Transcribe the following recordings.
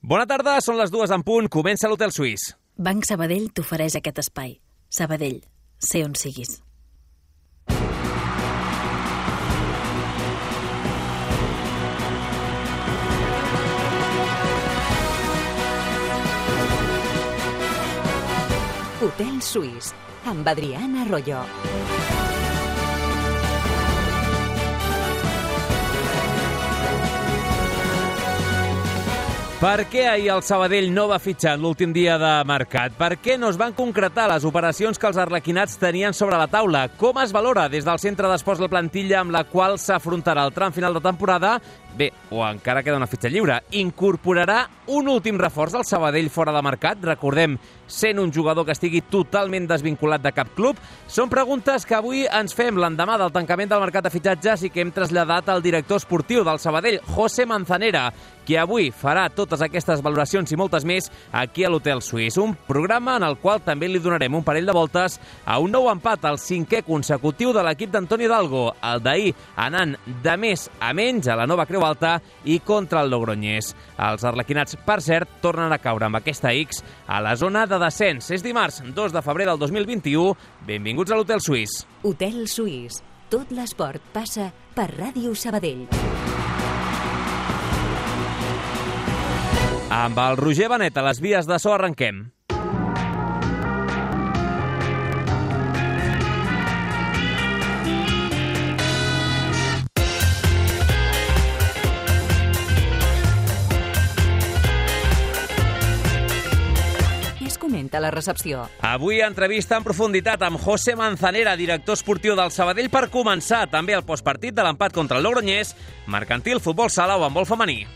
Bona tarda, són les 2 en punt, comença l'Hotel Suís. Banc Sabadell t'ofereix aquest espai. Sabadell, sé on siguis. Hotel Suís, amb Adriana Arroyo. Per què ahir el Sabadell no va fitxar en l'últim dia de mercat? Per què no es van concretar les operacions que els arlequinats tenien sobre la taula? Com es valora des del centre d'esports la plantilla amb la qual s'afrontarà el tram final de temporada? Bé, o encara queda una fitxa lliure. Incorporarà un últim reforç al Sabadell fora de mercat? Recordem, sent un jugador que estigui totalment desvinculat de cap club? Són preguntes que avui ens fem l'endemà del tancament del mercat de fitxatges i que hem traslladat al director esportiu del Sabadell, José Manzanera, que avui farà totes aquestes valoracions i moltes més aquí a l'Hotel Suís. Un programa en el qual també li donarem un parell de voltes a un nou empat, el 5è consecutiu de l'equip d'Antoni Hidalgo, el d'ahir anant de més a menys a la Nova Creu Alta i contra el Logroñés. Els arlequinats, per cert, tornen a caure amb aquesta X a la zona de descens. És dimarts, 2 de febrer del 2021. Benvinguts a l'Hotel Suís. Hotel Suís. Tot l'esport passa per Ràdio Sabadell. Amb el Roger Benet a les vies de so arrenquem. Comenta la recepció. Avui entrevista en profunditat amb José Manzanera, director esportiu del Sabadell, per començar també el postpartit de l'empat contra el Logroñés, mercantil, futbol sala o handbol femení.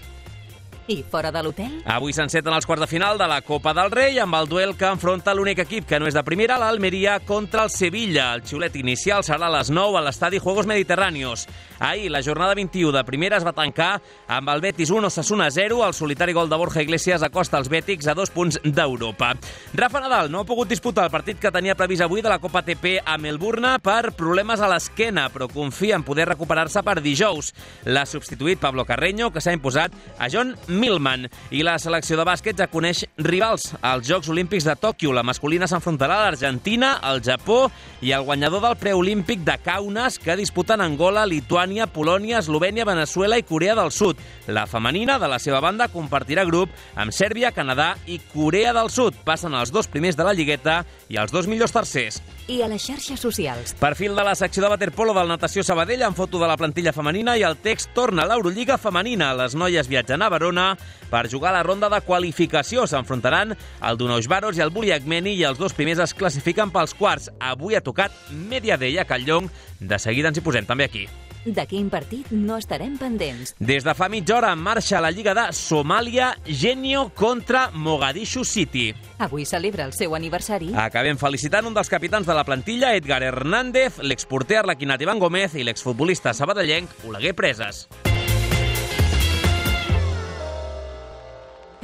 I fora de l'hotel? Avui s'enceten els quarts de final de la Copa del Rei amb el duel que enfronta l'únic equip que no és de primera, l'Almeria, contra el Sevilla. El xiulet inicial serà a les 9 a l'estadi Juegos Mediterráneos. Ahir, la jornada 21 de primera es va tancar amb el Betis 1, Osasuna 0. El solitari gol de Borja Iglesias acosta els bètics a 2 punts d'Europa. Rafa Nadal no ha pogut disputar el partit que tenia previst avui de la Copa ATP a Melbourne per problemes a l'esquena, però confia en poder recuperar-se per dijous. L'ha substituït Pablo Carreño, que s'ha imposat a John Millman. I la selecció de bàsquet ja coneix rivals als Jocs Olímpics de Tòquio. La masculina s'enfrontarà a l'Argentina, al Japó i el guanyador del preolímpic de Kaunas, que disputen Angola, Lituània, Polònia, Eslovènia, Veneçuela i Corea del Sud. La femenina, de la seva banda, compartirà grup amb Sèrbia, Canadà i Corea del Sud. Passen els 2 primers de la lligueta i els 2 millors tercers. I a les xarxes socials. Perfil de la secció de waterpolo del Natació Sabadell amb foto de la plantilla femenina i el text torna a l'Eurolliga femenina. Les noies viatgen a Verona per jugar a la ronda de qualificació. S'enfrontaran el Donaužvaros i el Buliagmeni i els 2 primers es classifiquen pels quarts. Avui ha tocat Mediadeia a Calllong. De seguida ens hi posem també aquí. De quin partit no estarem pendents? Des de fa mitja hora en marxa la Lliga de Somàlia, Genio contra Mogadishu City. Avui celebra el seu aniversari. Acabem felicitant un dels capitans de la plantilla, Edgar Hernández, l'exporter arlequinat Ivan Gómez i l'exfutbolista sabadellenc Oleguer Presas.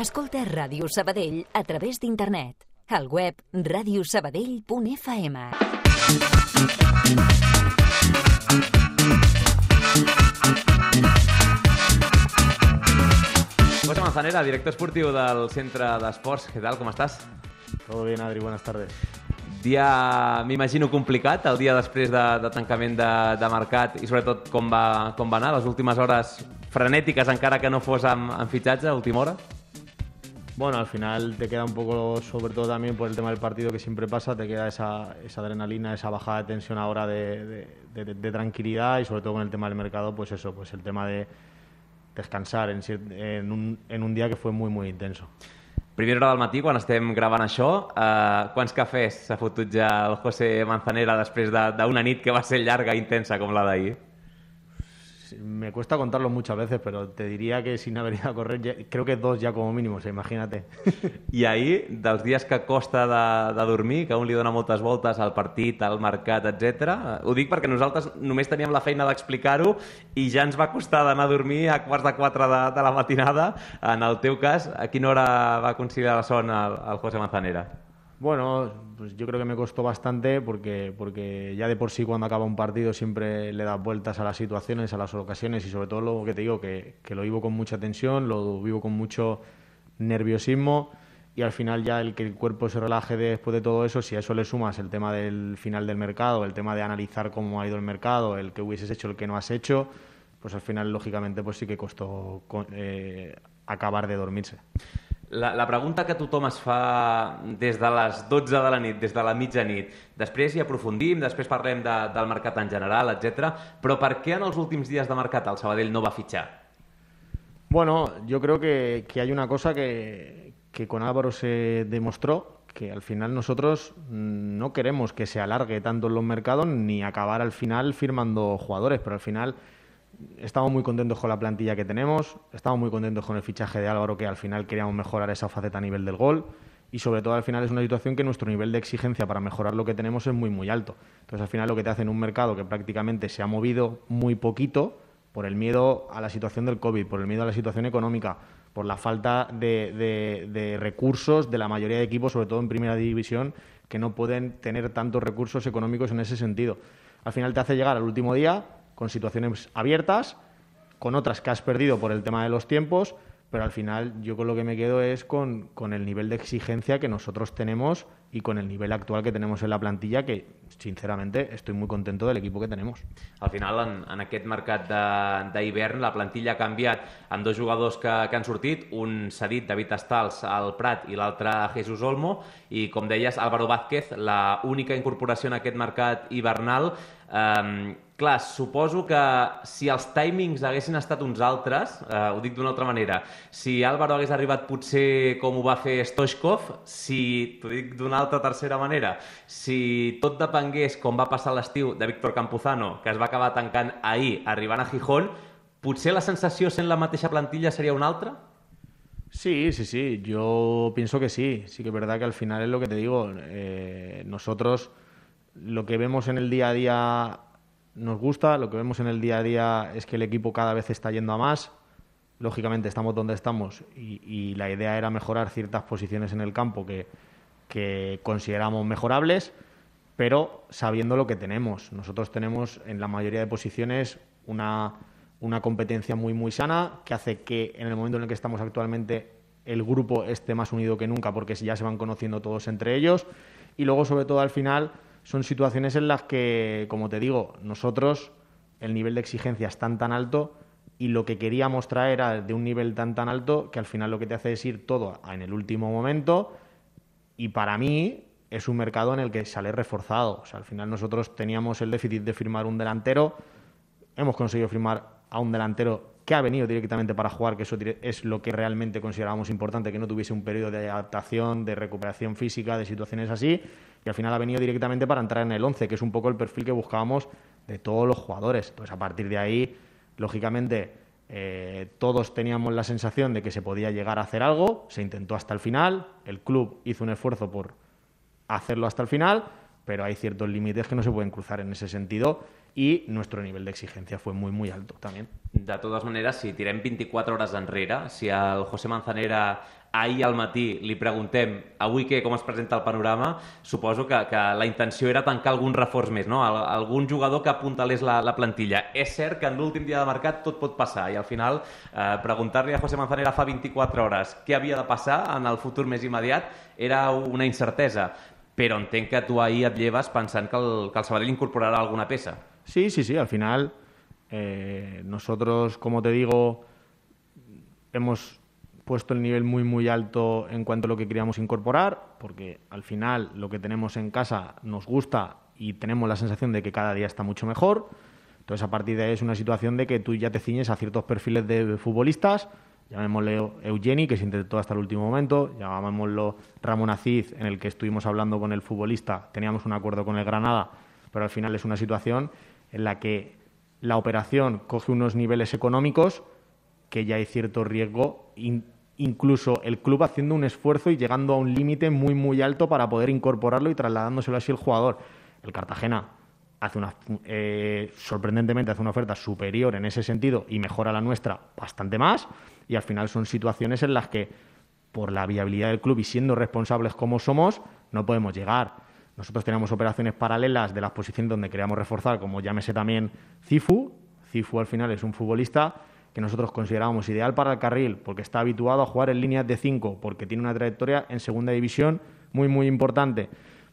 Escolta Ràdio Sabadell a través d'internet. Al web radiosabadell.fm. José Manzanera, director esportiu del Centre d'Esports. ¿Qué tal? ¿Cómo estás? Todo bien, Adri, buenas tardes. Dia, m'imagino, complicat, el dia després de tancament de mercat i sobretot com va anar, les últimes hores frenètiques, encara que no fos amb fitxatge a última hora? Bueno, al final te queda un poco, sobre todo también por el tema del partido que siempre pasa, te queda esa adrenalina, esa bajada de tensión ahora de tranquilidad y sobre todo con el tema del mercado, pues eso, pues el tema de descansar en un día que fue muy, muy intenso. Primera hora del matí, quan estem gravant això, quants cafès s'ha fotut ja el José Manzanera després d'una nit que va ser llarga i intensa com la d'ahir? Me cuesta contarlo muchas veces, pero te diría que sin haber ido a correr, creo que 2 ya como mínimo, imagínate. I ahir, dels dies que costa de dormir, que un li dona moltes voltes al partit, al mercat, etc. Ho dic perquè nosaltres només teníem la feina d'explicar-ho i ja ens va costar d'anar a dormir a 3:15 de la matinada. En el teu cas, a quina hora va conciliar la son el José Manzanera? Bueno, pues yo creo que me costó bastante porque ya de por sí cuando acaba un partido siempre le das vueltas a las situaciones, a las ocasiones y sobre todo lo que te digo, que lo vivo con mucha tensión, lo vivo con mucho nerviosismo y al final ya el que el cuerpo se relaje después de todo eso, si a eso le sumas el tema del final del mercado, el tema de analizar cómo ha ido el mercado, el que hubieses hecho, el que no has hecho, pues al final, lògicament, pues sí que costó acabar de dormirse. La pregunta que tothom es fa des de les 12 de la nit, des de la mitjanit, després hi aprofundim, després parlem del mercat en general, etc. Però per què en els últims dies de mercat el Sabadell no va fitxar? Bueno, yo creo que hay una cosa que con Álvaro se demostró, que al final nosotros no queremos que se alargue tanto en los mercados ni acabar al final firmando jugadores, pero al final estamos muy contentos con la plantilla que tenemos, estamos muy contentos con el fichaje de Álvaro, que al final queríamos mejorar esa faceta a nivel del gol, y sobre todo al final es una situación que nuestro nivel de exigencia para mejorar lo que tenemos es muy muy alto. Entonces al final lo que te hace en un mercado que prácticamente se ha movido muy poquito por el miedo a la situación del COVID, por el miedo a la situación económica, por la falta de recursos de la mayoría de equipos, sobre todo en primera división, que no pueden tener tantos recursos económicos en ese sentido. Al final te hace llegar al último día con situaciones abiertas, con otras que has perdido por el tema de los tiempos, pero al final yo con lo que me quedo es con el nivel de exigencia que nosotros tenemos y con el nivel actual que tenemos en la plantilla, que sinceramente estoy muy contento del equipo que tenemos. Al final, en aquest mercat d'hivern, la plantilla ha canviat amb dos jugadors que han sortit, un cedit, David Estals, al Prat, i l'altre Jesús Olmo, i com deies, Álvaro Vázquez, la única incorporació en aquest mercat hivernal. Clar, suposo que si els timings haguessin estat uns altres, ho dic d'una altra manera, si Álvaro hagués arribat potser com ho va fer Stoichkov, si, t'ho dic d'una altra tercera manera, si tot depengués, com va passar l'estiu, de Víctor Campuzano, que es va acabar tancant ahir, arribant a Gijón, potser la sensació sent la mateixa plantilla seria una altra? Sí, yo pienso que sí. Sí que es verdad que al final es lo que te digo, nosotros lo que vemos en el día a día nos gusta, lo que vemos en el día a día es que el equipo cada vez está yendo a más. Lógicamente estamos donde estamos y la idea era mejorar ciertas posiciones en el campo que consideramos mejorables, pero sabiendo lo que tenemos. Nosotros tenemos en la mayoría de posiciones una competencia muy muy sana, que hace que en el momento en el que estamos actualmente el grupo esté más unido que nunca, porque ya se van conociendo todos entre ellos, y luego sobre todo al final son situaciones en las que, como te digo, nosotros el nivel de exigencia es tan alto y lo que queríamos traer era de un nivel tan alto que al final lo que te hace es ir todo en el último momento, y para mí es un mercado en el que sale reforzado. O sea, al final nosotros teníamos el déficit de firmar un delantero, hemos conseguido firmar a un delantero que ha venido directamente para jugar, que eso es lo que realmente considerábamos importante, que no tuviese un periodo de adaptación, de recuperación física, de situaciones así, y al final ha venido directamente para entrar en el 11, que es un poco el perfil que buscábamos de todos los jugadores. Entonces, a partir de ahí, lógicamente, todos teníamos la sensación de que se podía llegar a hacer algo, se intentó hasta el final, el club hizo un esfuerzo por hacerlo hasta el final, pero hay ciertos límites que no se pueden cruzar en ese sentido, i nuestro nivel d'exigència fue muy, muy alto també. De totes maneres, si tirem 24 hores enrere, si al José Manzanera ahir al matí li preguntem avui com es presenta el panorama, suposo que la intenció era tancar algun reforç més, no? Algun jugador que apuntalés la plantilla. És cert que en l'últim dia de mercat tot pot passar i al final preguntar-li a José Manzanera fa 24 hores què havia de passar en el futur més immediat era una incertesa, però entenc que tu ahir et lleves pensant que el Sabadell incorporarà alguna peça. Sí, al final nosotros, como te digo, hemos puesto el nivel muy muy alto en cuanto a lo que queríamos incorporar, porque al final lo que tenemos en casa nos gusta y tenemos la sensación de que cada día está mucho mejor. Entonces a partir de ahí es una situación de que tú ya te ciñes a ciertos perfiles de futbolistas, llamémosle Eugeni, que se intentó hasta el último momento, llamémoslo Ramón Aziz, en el que estuvimos hablando con el futbolista, teníamos un acuerdo con el Granada, pero al final es una situación en la que la operación coge unos niveles económicos que ya hay cierto riesgo, incluso el club haciendo un esfuerzo y llegando a un límite muy muy alto para poder incorporarlo y trasladándoselo así el jugador. El Cartagena sorprendentemente hace una oferta superior en ese sentido y mejora la nuestra bastante más, y al final son situaciones en las que por la viabilidad del club y siendo responsables como somos no podemos llegar. Nosotros tenemos operaciones paralelas de las posiciones donde queríamos reforzar, como llámese también Cifu. Cifu al final es un futbolista que nosotros considerábamos ideal para el carril, porque está habituado a jugar en líneas de 5, porque tiene una trayectoria en segunda división muy, muy importante.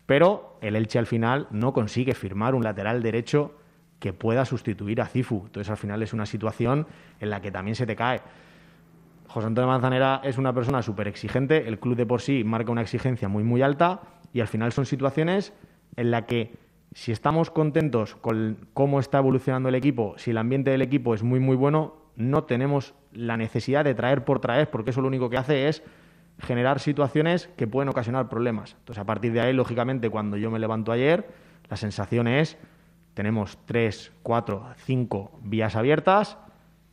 Pero el Elche al final no consigue firmar un lateral derecho que pueda sustituir a Cifu. Entonces al final es una situación en la que también se te cae. José Antonio Manzanera es una persona súper exigente, el club de por sí marca una exigencia muy, muy alta y al final son situaciones en las que si estamos contentos con cómo está evolucionando el equipo, si el ambiente del equipo es muy, muy bueno, no tenemos la necesidad de traer por traer, porque eso lo único que hace es generar situaciones que pueden ocasionar problemas. Entonces, a partir de ahí, lógicamente, cuando yo me levanto ayer, la sensación es, tenemos 3, 4, 5 vías abiertas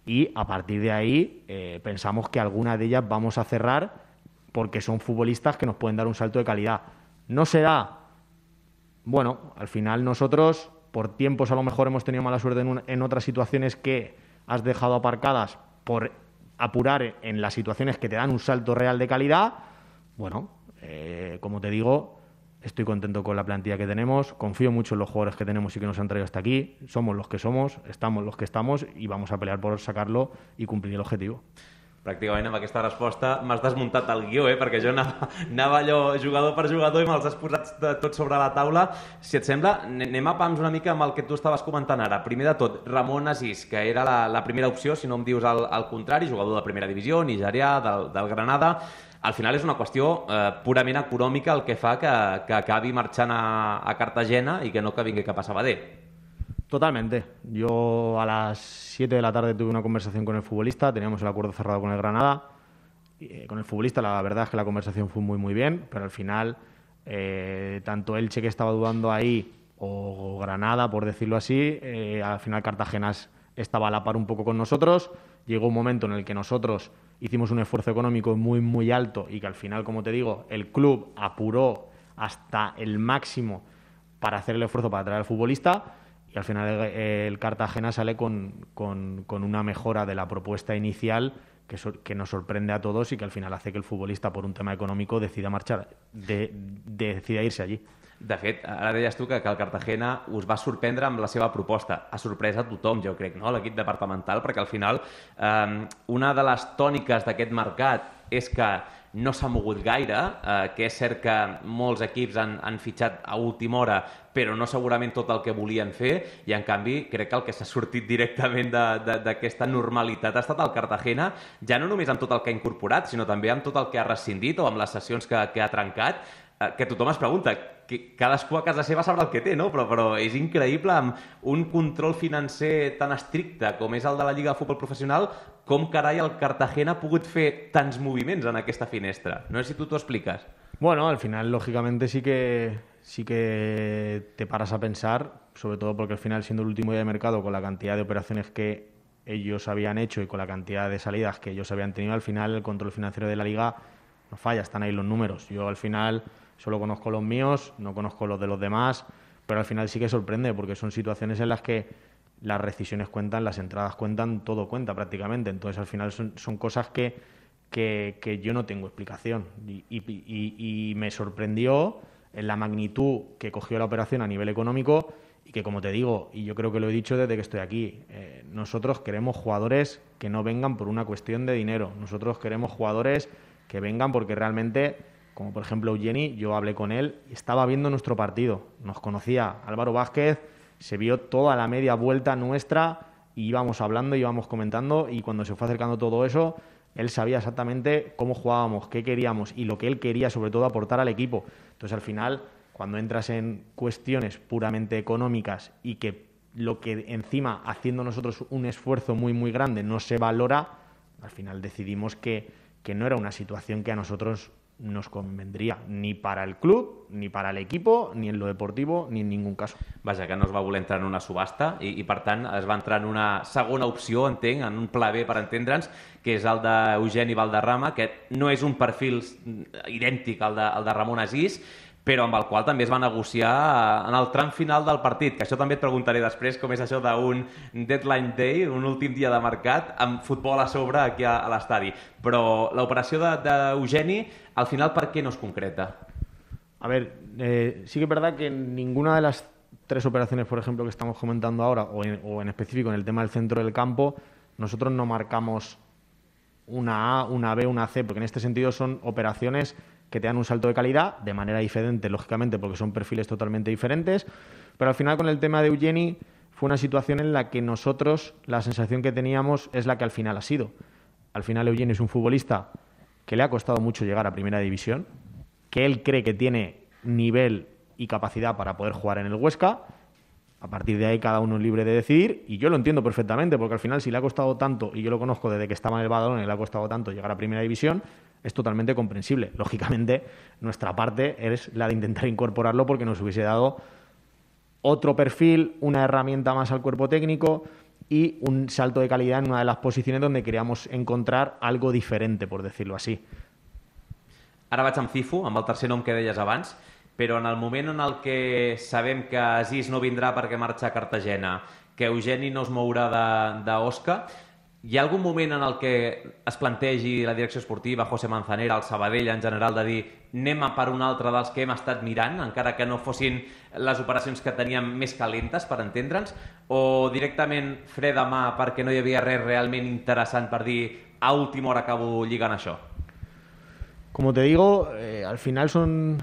y a partir de ahí pensamos que alguna de ellas vamos a cerrar porque son futbolistas que nos pueden dar un salto de calidad. No será, bueno, al final nosotros, por tiempos a lo mejor hemos tenido mala suerte en otras situaciones que has dejado aparcadas por apurar en las situaciones que te dan un salto real de calidad. Bueno, como te digo, estoy contento con la plantilla que tenemos, confío mucho en los jugadores que tenemos y que nos han traído hasta aquí, somos los que somos, estamos los que estamos i vamos a pelear por sacarlo i complir el objetivo. Pràcticament amb aquesta resposta m'has desmuntat el guió, perquè jo anava allò jugador per jugador i me'ls has posat tots sobre la taula. Si et sembla, anem a pams una mica amb el que tu estaves comentant ara. Primer de tot, Ramon Asís, que era la primera opció, si no em dius el contrari, jugador de primera divisió, nigerià, del Granada. Al final és una qüestió purament econòmica el que fa que acabi marxant a Cartagena i que no que vingui cap a Sabadell. Totalmente. Yo a las 7 de la tarde tuve una conversación con el futbolista, teníamos el acuerdo cerrado con el Granada. Con el futbolista la verdad es que la conversación fue muy muy bien, pero al final tanto Elche, que estaba dudando ahí, o Granada, por decirlo así, al final Cartagena estaba a la par un poco con nosotros. Llegó un momento en el que nosotros hicimos un esfuerzo económico muy muy alto y que al final, como te digo, el club apuró hasta el máximo para hacer el esfuerzo para traer al futbolista. Y al final el Cartagena sale con una mejora de la propuesta inicial que nos sorprende a todos y que al final hace que el futbolista, por un tema económico, decida marxar, decida irse allí. De fet, ara deies tu que el Cartagena us va sorprendre amb la seva proposta. Ha sorprès a tothom, jo crec, no? L'equip departamental, perquè al final una de les tòniques d'aquest mercat és que no s'ha mogut gaire, que és cert que molts equips han fitxat a última hora, però no segurament tot el que volien fer, i en canvi crec que el que s'ha sortit directament d'aquesta normalitat ha estat el Cartagena, ja no només amb tot el que ha incorporat, sinó també amb tot el que ha rescindit o amb les sessions que ha trencat, que tothom es pregunta, que cadascú a casa seva sabrà el que té, no? Però és increïble, amb un control financer tan estricte com és el de la Lliga de Futbol Professional, com carai el Cartagena ha pogut fer tants moviments en aquesta finestra. No sé si tu t'ho expliques. Bueno, al final, lógicamente, sí que te paras a pensar, sobre todo porque al final, siendo el último día de mercado, con la cantidad de operaciones que ellos habían hecho y con la cantidad de salidas que ellos habían tenido, al final el control financiero de la Liga no falla, están ahí los números. Yo al final solo conozco los míos, no conozco los de los demás, pero al final sí que sorprende porque son situaciones en las que las rescisiones cuentan, las entradas cuentan, todo cuenta prácticamente. Entonces al final son cosas que yo no tengo explicación y me sorprendió en la magnitud que cogió la operación a nivel económico y que, como te digo, y yo creo que lo he dicho desde que estoy aquí, nosotros queremos jugadores que no vengan por una cuestión de dinero, nosotros queremos jugadores que vengan porque realmente, como por ejemplo Eugeni, yo hablé con él y estaba viendo nuestro partido, nos conocía Álvaro Vázquez, se vio toda la media vuelta nuestra y íbamos hablando, íbamos comentando, y cuando se fue acercando todo eso, él sabía exactamente cómo jugábamos, qué queríamos y lo que él quería sobre todo aportar al equipo. Entonces al final, cuando entras en cuestiones puramente económicas y que lo que encima, haciendo nosotros un esfuerzo muy muy grande, no se valora, al final decidimos que no era una situación que a nosotros nos convendría, ni para el club, ni para el equipo, ni en lo deportivo, ni en ningún caso. Vaja, que no es va voler entrar en una subhasta i per tant es va entrar en una segona opció, entenc, en un pla B per entendre'ns, que és el d'Eugeni Valderrama, que no és un perfil idèntic al de Ramon Asís, però amb el qual també es va negociar en el tram final del partit, que això també et preguntaré després com és això d'un deadline day, un últim dia de mercat, amb futbol a sobre aquí a l'estadi. Però l'operació d'Eugeni, al final, per què no es concreta? A ver, sí que es verdad que ninguna de las tres operaciones, por ejemplo, que estamos comentando ahora, o en específico en el tema del centro del campo, nosotros no marcamos una A, una B, una C, porque en este sentido son operaciones que te dan un salto de calidad de manera diferente, lógicamente, porque son perfiles totalmente diferentes, pero al final con el tema de Eugeni fue una situación en la que nosotros, la sensación que teníamos es la que al final ha sido. Al final Eugeni es un futbolista que le ha costado mucho llegar a Primera División, que él cree que tiene nivel y capacidad para poder jugar en el Huesca. A partir de ahí cada uno es libre de decidir, y yo lo entiendo perfectamente, porque al final si le ha costado tanto, y yo lo conozco desde que estaba en el Badalona y le ha costado tanto llegar a Primera División, es totalmente comprensible. Lógicamente, nuestra parte es la de intentar incorporarlo porque nos hubiese dado otro perfil, una herramienta más al cuerpo técnico y un salto de calidad en una de las posiciones donde queríamos encontrar algo diferente, por decirlo así. Ara vaig amb Cifu, amb el tercer nom que deies abans, però en el moment en el que sabem que Aziz no vindrà perquè marxa a Cartagena, que Eugeni no es mourà d'Osca, hi ha algun moment en el que es plantegi la direcció esportiva, José Manzanera, el Sabadell en general, de dir anem a per un altre dels que hem estat mirant, encara que no fossin les operacions que teníem més calentes, per entendre'ns, o directament fred de mà perquè no hi havia res realment interessant per dir a última hora acabo lligant això? Como te digo, al final son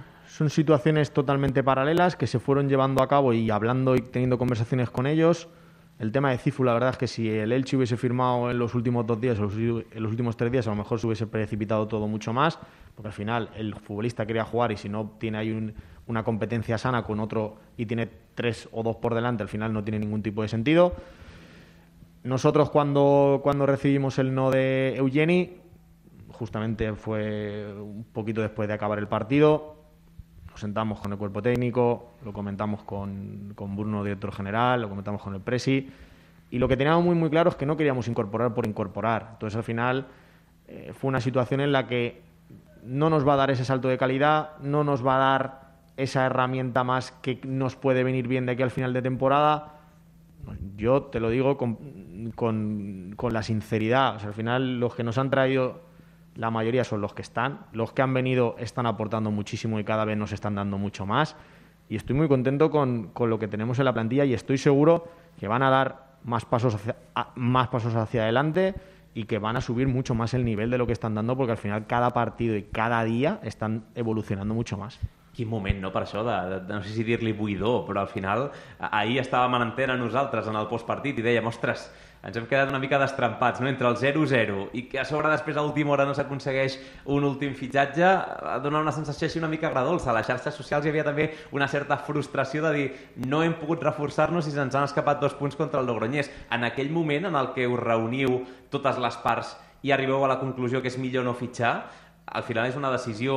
situaciones totalmente paralelas que se fueron llevando a cabo y hablando y teniendo conversaciones con ellos. El tema de Cifu, la verdad es que si el Elche hubiese firmado en los últimos 2 días o en los últimos 3 días, a lo mejor se hubiese precipitado todo mucho más, porque al final el futbolista quería jugar y si no tiene ahí una competencia sana con otro y tiene 3 o 2 por delante, al final no tiene ningún tipo de sentido. Nosotros cuando recibimos el no de Eugeni, justamente fue un poquito después de acabar el partido, nos sentamos con el cuerpo técnico, lo comentamos con Bruno, director general, lo comentamos con el Presi, y lo que teníamos muy claro es que no queríamos incorporar por incorporar. Entonces al final fue una situación en la que no nos va a dar ese salto de calidad, no nos va a dar esa herramienta más que nos puede venir bien de aquí al final de temporada. Yo te lo digo con la sinceridad, o sea, al final los que nos han traído, la mayoría son los que están. Los que han venido están aportando muchísimo y cada vez nos están dando mucho más. Y estoy muy contento con lo que tenemos en la plantilla y estoy seguro que van a dar más pasos hacia adelante y que van a subir mucho más el nivel de lo que están dando, porque al final cada partido y cada día están evolucionando mucho más. Quin moment, no, per això, de no sé si dir-li buidor, però al final ahir estàvem en antena nosaltres en el postpartit i dèiem, ostres, ens hem quedat una mica destrempats, no?, entre el 0-0 i que a sobre després a última hora no s'aconsegueix un últim fitxatge, dona una sensació així una mica agradolça. A les xarxes socials hi havia també una certa frustració de dir no hem pogut reforçar-nos i se'ns han escapat 2 punts contra el Logroñés. En aquell moment en el que us reuniu totes les parts i arribeu a la conclusió que és millor no fitxar, al final és una decisió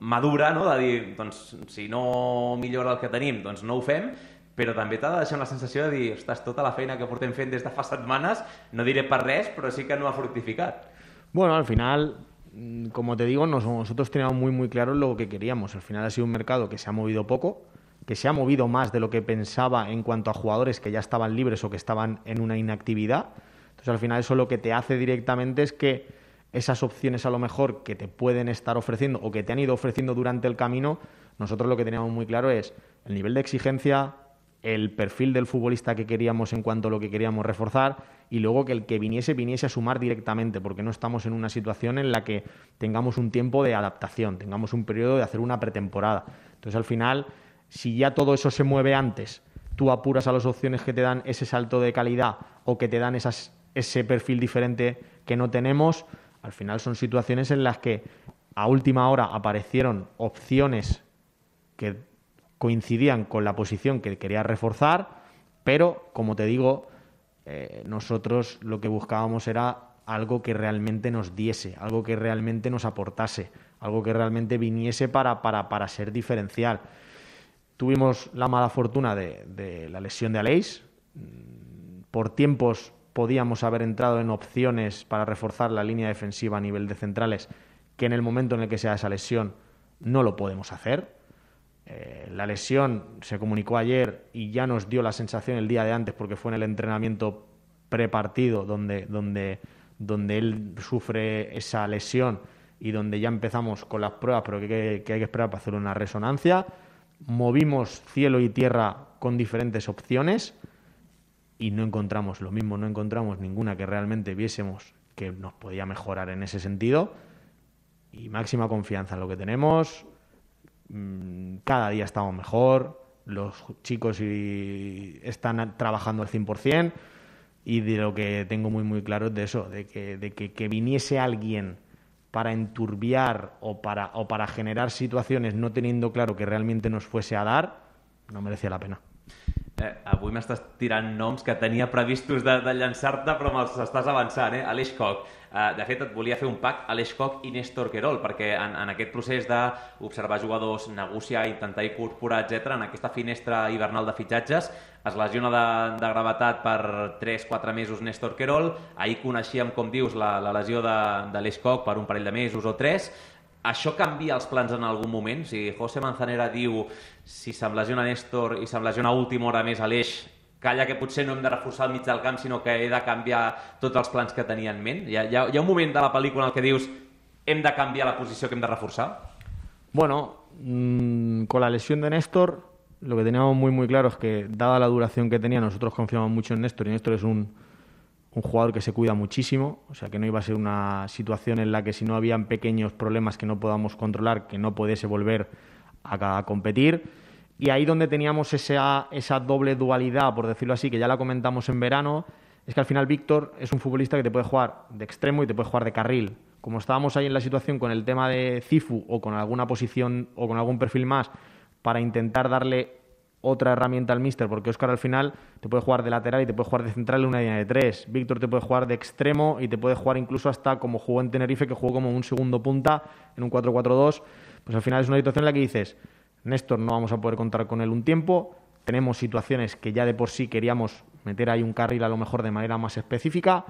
madura, no?, de dir, doncs, si no millora el que tenim, doncs no ho fem, però també t'ha de deixar una sensació de dir, ostres, tota la feina que portem fent des de fa setmanes, no diré per res, però sí que no ha fructificat. Bueno, al final, como te digo, nosotros teníamos muy claro lo que queríamos. Al final ha sido un mercado que se ha movido poco, que se ha movido más de lo que pensaba en cuanto a jugadores que ya estaban libres o que estaban en una inactividad. Entonces, al final eso lo que te hace directamente es que esas opciones a lo mejor que te pueden estar ofreciendo o que te han ido ofreciendo durante el camino, nosotros lo que teníamos muy claro es el nivel de exigencia, el perfil del futbolista que queríamos en cuanto a lo que queríamos reforzar y luego que el que viniese a sumar directamente, porque no estamos en una situación en la que tengamos un tiempo de adaptación, tengamos un periodo de hacer una pretemporada. Entonces al final, si ya todo eso se mueve antes, tú apuras a las opciones que te dan ese salto de calidad o que te dan ese perfil diferente que no tenemos, al final son situaciones en las que a última hora aparecieron opciones que coincidían con la posición que quería reforzar, pero, como te digo, nosotros lo que buscábamos era algo que realmente nos diese, algo que realmente nos aportase, algo que realmente viniese para ser diferencial. Tuvimos la mala fortuna de la lesión de Aleix. Por tiempos podíamos haber entrado en opciones para reforzar la línea defensiva a nivel de centrales, que en el momento en el que sea esa lesión no lo podemos hacer. La lesión se comunicó ayer y ya nos dio la sensación el día de antes, porque fue en el entrenamiento prepartido donde él sufre esa lesión y donde ya empezamos con las pruebas, pero que hay que esperar para hacer una resonancia. Movimos cielo y tierra con diferentes opciones y no encontramos lo mismo, no encontramos ninguna que realmente viésemos que nos podía mejorar en ese sentido, y máxima confianza en lo que tenemos. Cada día estamos mejor, los chicos están trabajando al 100%, y de lo que tengo muy muy claro es de eso, de que viniese alguien para enturbiar o para generar situaciones no teniendo claro que realmente nos fuese a dar, no merecía la pena. Avui m'estàs tirant noms que tenia previstos de llançar-te, però me'ls estàs avançant, Aleix Koch. De fet, et volia fer un pack Aleix Koch i Néstor Querol, perquè en aquest procés d'observar jugadors, negociar, intentar incorporar, etc., en aquesta finestra hivernal de fitxatges, es lesiona de gravetat per 3-4 mesos Néstor Querol. Ahir coneixíem, com dius, la lesió d'Aleix Koch per un parell de mesos o 3. Això canvia els plans en algun moment? O sigui, José Manzanera diu, si se'm lesiona Néstor i se'm lesiona a última hora més Aleix, calla que potser no hem de reforçar el mig del camp, sinó que he de canviar tots els plans que tenia en ment. Hi ha un moment de la pel·lícula en el que dius hem de canviar la posició que hem de reforçar? Bueno, con la lesión de Néstor, lo que teníamos muy muy claro es que, dada la duración que tenía, nosotros confiamos mucho en Néstor, y Néstor es un jugador que se cuida muchísimo, o sea que no iba a ser una situación en la que, si no habían pequeños problemas que no podamos controlar, que no pudiese volver a competir. Y ahí donde teníamos esa doble dualidad, por decirlo así, que ya la comentamos en verano, es que al final Víctor es un futbolista que te puede jugar de extremo y te puede jugar de carril. Como estábamos ahí en la situación con el tema de Cifu o con alguna posición o con algún perfil más para intentar darle otra herramienta al míster, porque Óscar al final te puede jugar de lateral y te puede jugar de central en una línea de 3. Víctor te puede jugar de extremo y te puede jugar incluso hasta como jugó en Tenerife, que jugó como un segundo punta en un 4-4-2. Pues al final es una situación en la que dices, Néstor no vamos a poder contar con él un tiempo, tenemos situaciones que ya de por sí queríamos meter ahí un carril a lo mejor de manera más específica,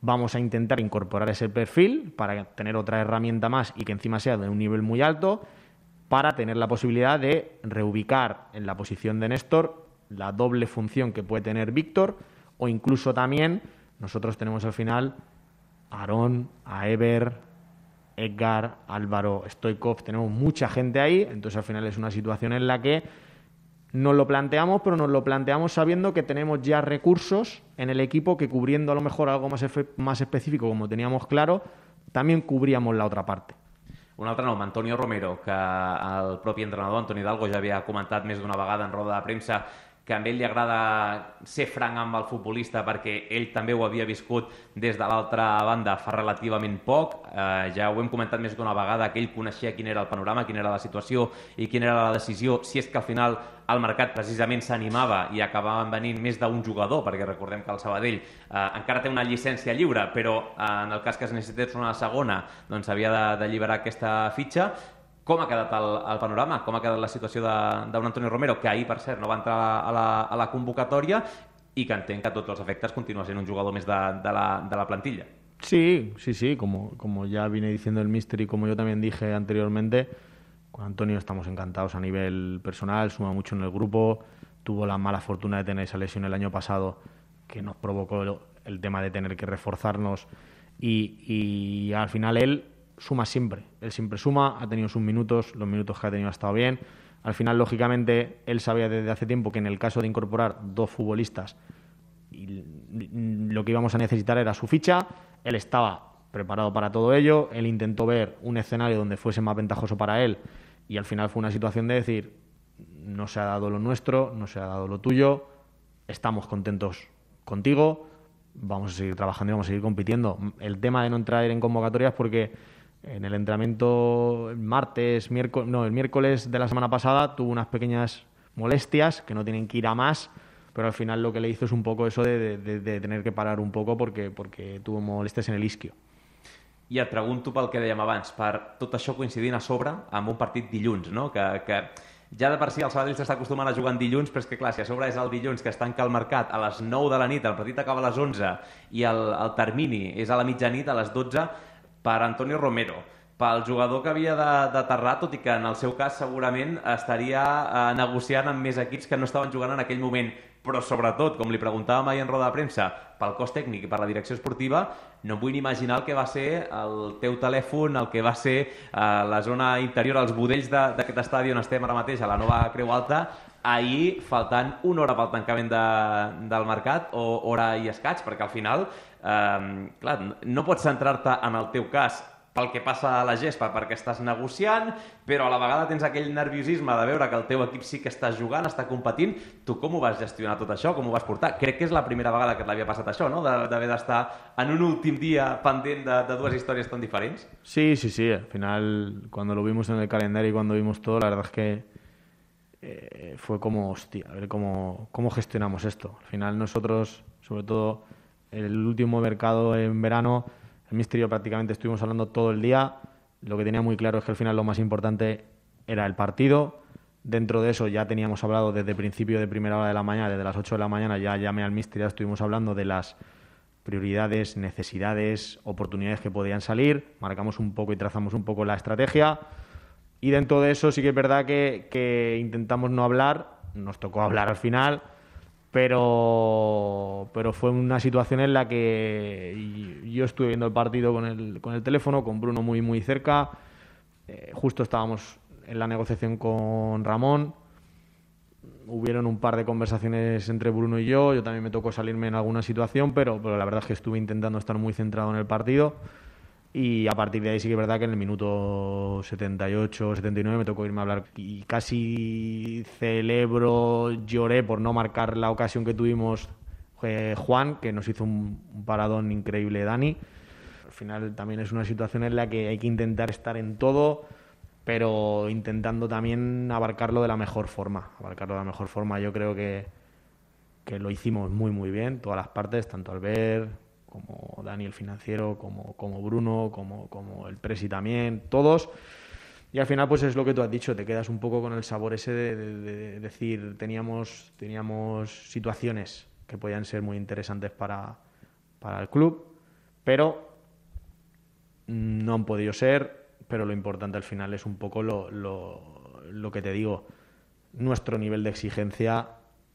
vamos a intentar incorporar ese perfil para tener otra herramienta más y que encima sea de un nivel muy alto, para tener la posibilidad de reubicar en la posición de Néstor la doble función que puede tener Víctor, o incluso también nosotros tenemos al final a Aarón, a Ever, Edgar, Álvaro, Stoikov, tenemos mucha gente ahí, entonces al final es una situación en la que nos lo planteamos, pero nos lo planteamos sabiendo que tenemos ya recursos en el equipo que, cubriendo a lo mejor algo más específico, como teníamos claro, también cubríamos la otra parte. Un altre nom, Antonio Romero, que el propi entrenador, Antoni Hidalgo, ja havia comentat més d'una vegada en roda de premsa que a ell li agrada ser franc amb el futbolista perquè ell també ho havia viscut des de l'altra banda fa relativament poc. Ja ho hem comentat més d'una vegada, que ell coneixia quin era el panorama, quina era la situació i quina era la decisió, si és que al final el mercat precisament s'animava i acabaven venint més d'un jugador, perquè recordem que el Sabadell encara té una llicència lliure, però en el cas que es necessités una segona, doncs havia d'alliberar aquesta fitxa. Com ha quedat el panorama? Com ha quedat la situació d'un Antonio Romero, que ahir, per cert, no va entrar a la convocatòria i que entenc que a tots els efectes continua sent un jugador més de la plantilla? Sí, como ya vine diciendo el míster y como yo también dije anteriormente, con Antonio estamos encantados a nivel personal, suma mucho en el grupo, tuvo la mala fortuna de tener esa lesión el año pasado que nos provocó el tema de tener que reforzarnos, y al final él siempre suma, ha tenido sus minutos, los minutos que ha tenido ha estado bien. Al final, lógicamente, él sabía desde hace tiempo que en el caso de incorporar dos futbolistas, lo que íbamos a necesitar era su ficha. Él estaba preparado para todo ello, él intentó ver un escenario donde fuese más ventajoso para él, y al final fue una situación de decir, no se ha dado lo nuestro, no se ha dado lo tuyo, estamos contentos contigo, vamos a seguir trabajando y vamos a seguir compitiendo. El tema de no entrar en convocatorias porque en el entrenamiento el miércoles de la semana pasada tuvo unas pequeñas molestias que no tienen que ir a más, pero al final lo que le hizo es un poco eso de tener que parar un poco porque tuvo molestias en el isquio. I et pregunto pel que dèiem abans, per tot això coincidint a sobre amb un partit dilluns, no? Que ja de per si el Sabadell s'està acostumant a jugar en dilluns, però és que clar, si a sobre és el dilluns que es tanca el mercat a les 9 de la nit, el partit acaba a les 11 i el termini és a la mitjanit, a les 12, per Antonio Romero, pel jugador que havia d'aterrar, tot i que en el seu cas segurament estaria negociant amb més equips que no estaven jugant en aquell moment, però sobretot, com li preguntàvem ahir en roda de premsa, pel cos tècnic i per la direcció esportiva, no em vull ni imaginar el que va ser el teu telèfon, el que va ser la zona interior, els budells d'aquest estadi on estem ara mateix, a la nova Creu Alta, ahir, faltant una hora pel tancament del mercat, o hora i escaig, perquè al final, clar, no pots centrar-te en el teu cas pel que passa a la gespa, perquè estàs negociant, però a la vegada tens aquell nerviosisme de veure que el teu equip sí que està jugant, està competint. Tu com ho vas gestionar tot això? Com ho vas portar? Crec que és la primera vegada que et l'havia passat això, no? D'haver d'estar en un últim dia pendent de dues històries tan diferents. Sí. Al final, cuando lo vimos en el calendario y cuando vimos todo, la verdad es que fue como, hostia, a ver cómo gestionamos esto. Al final nosotros, sobre todo el último mercado en verano, el míster y yo prácticamente estuvimos hablando todo el día. Lo que tenía muy claro es que al final lo más importante era el partido. Dentro de eso ya teníamos hablado desde principio de primera hora de la mañana, desde las 8 de la mañana ya llamé al míster y ya estuvimos hablando de las prioridades, necesidades, oportunidades que podían salir. Marcamos un poco y trazamos un poco la estrategia. Y dentro de eso sí que es verdad que intentamos no hablar. Nos tocó hablar al final. Pero fue una situación en la que yo estuve viendo el partido con el teléfono, con Bruno muy, muy cerca. Justo estábamos en la negociación con Ramón. Hubieron un par de conversaciones entre Bruno y yo. Yo también me tocó salirme en alguna situación, pero la verdad es que estuve intentando estar muy centrado en el partido. Y a partir de ahí sí que es verdad que en el minuto 78, 79 me tocó irme a hablar y casi lloré por no marcar la ocasión que tuvimos Juan, que nos hizo un paradón increíble Dani. Al final también es una situación en la que hay que intentar estar en todo, pero intentando también abarcarlo de la mejor forma. Yo creo que lo hicimos muy muy bien, todas las partes, tanto Albert como Dani el financiero, como Bruno, como el presi también, todos. Y al final pues es lo que tú has dicho, te quedas un poco con el sabor ese de decir, teníamos situaciones que podían ser muy interesantes para el club, pero no han podido ser. Pero lo importante al final es un poco lo que te digo, nuestro nivel de exigencia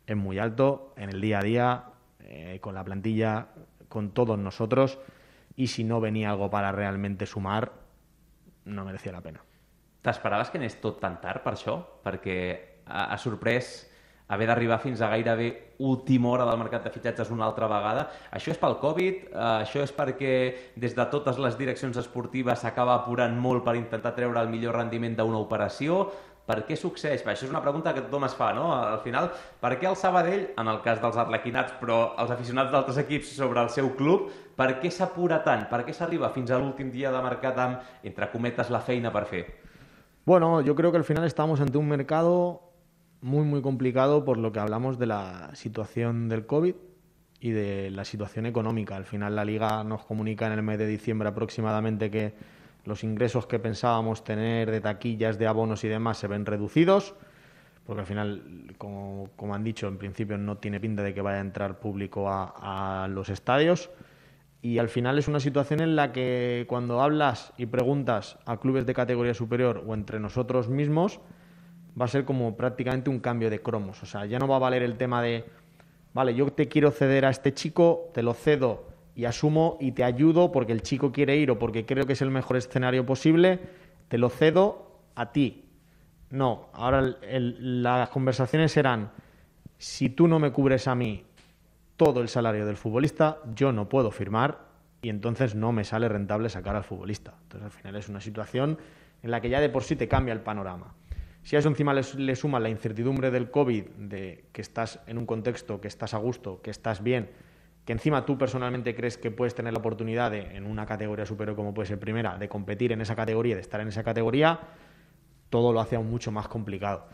es muy alto en el día a día, con la plantilla, con todos nosotros, y si no venía algo para realmente sumar, no merecía la pena. T'esperaves que anés tot tan tard per això? Perquè ha sorprès haver d'arribar fins a gairebé última hora del mercat de fitxatges una altra vegada. Això és pel Covid? Això és perquè des de totes les direccions esportives s'acaba apurant molt per intentar treure el millor rendiment d'una operació? Per què succeeix? Això és una pregunta que tothom es fa, no? Al final, per què el Sabadell, en el cas dels arlequinats, però els aficionats d'altres equips sobre el seu club, per què s'apura tant? Per què s'arriba fins a l'últim dia de mercat amb, entre cometes, la feina per fer? Bueno, yo creo que al final estamos ante un mercado muy, muy complicado por lo que hablamos de la situación del COVID y de la situación económica. Al final la Liga nos comunica en el mes de diciembre aproximadamente que los ingresos que pensábamos tener de taquillas, de abonos y demás se ven reducidos, porque al final, como han dicho, en principio no tiene pinta de que vaya a entrar público a los estadios. Y al final es una situación en la que cuando hablas y preguntas a clubes de categoría superior o entre nosotros mismos, va a ser como prácticamente un cambio de cromos. O sea, ya no va a valer el tema de, vale, yo te quiero ceder a este chico, te lo cedo y asumo y te ayudo porque el chico quiere ir o porque creo que es el mejor escenario posible, te lo cedo a ti. No, ahora las conversaciones serán, si tú no me cubres a mí todo el salario del futbolista, yo no puedo firmar y entonces no me sale rentable sacar al futbolista. Entonces al final es una situación en la que ya de por sí te cambia el panorama. Si a eso encima le sumas la incertidumbre del COVID, de que estás en un contexto, que estás a gusto, que estás bien, que encima tú personalmente crees que puedes tener la oportunidad de, en una categoría superior como puede ser primera, de competir en esa categoría, de estar en esa categoría, todo lo hace aún mucho más complicado.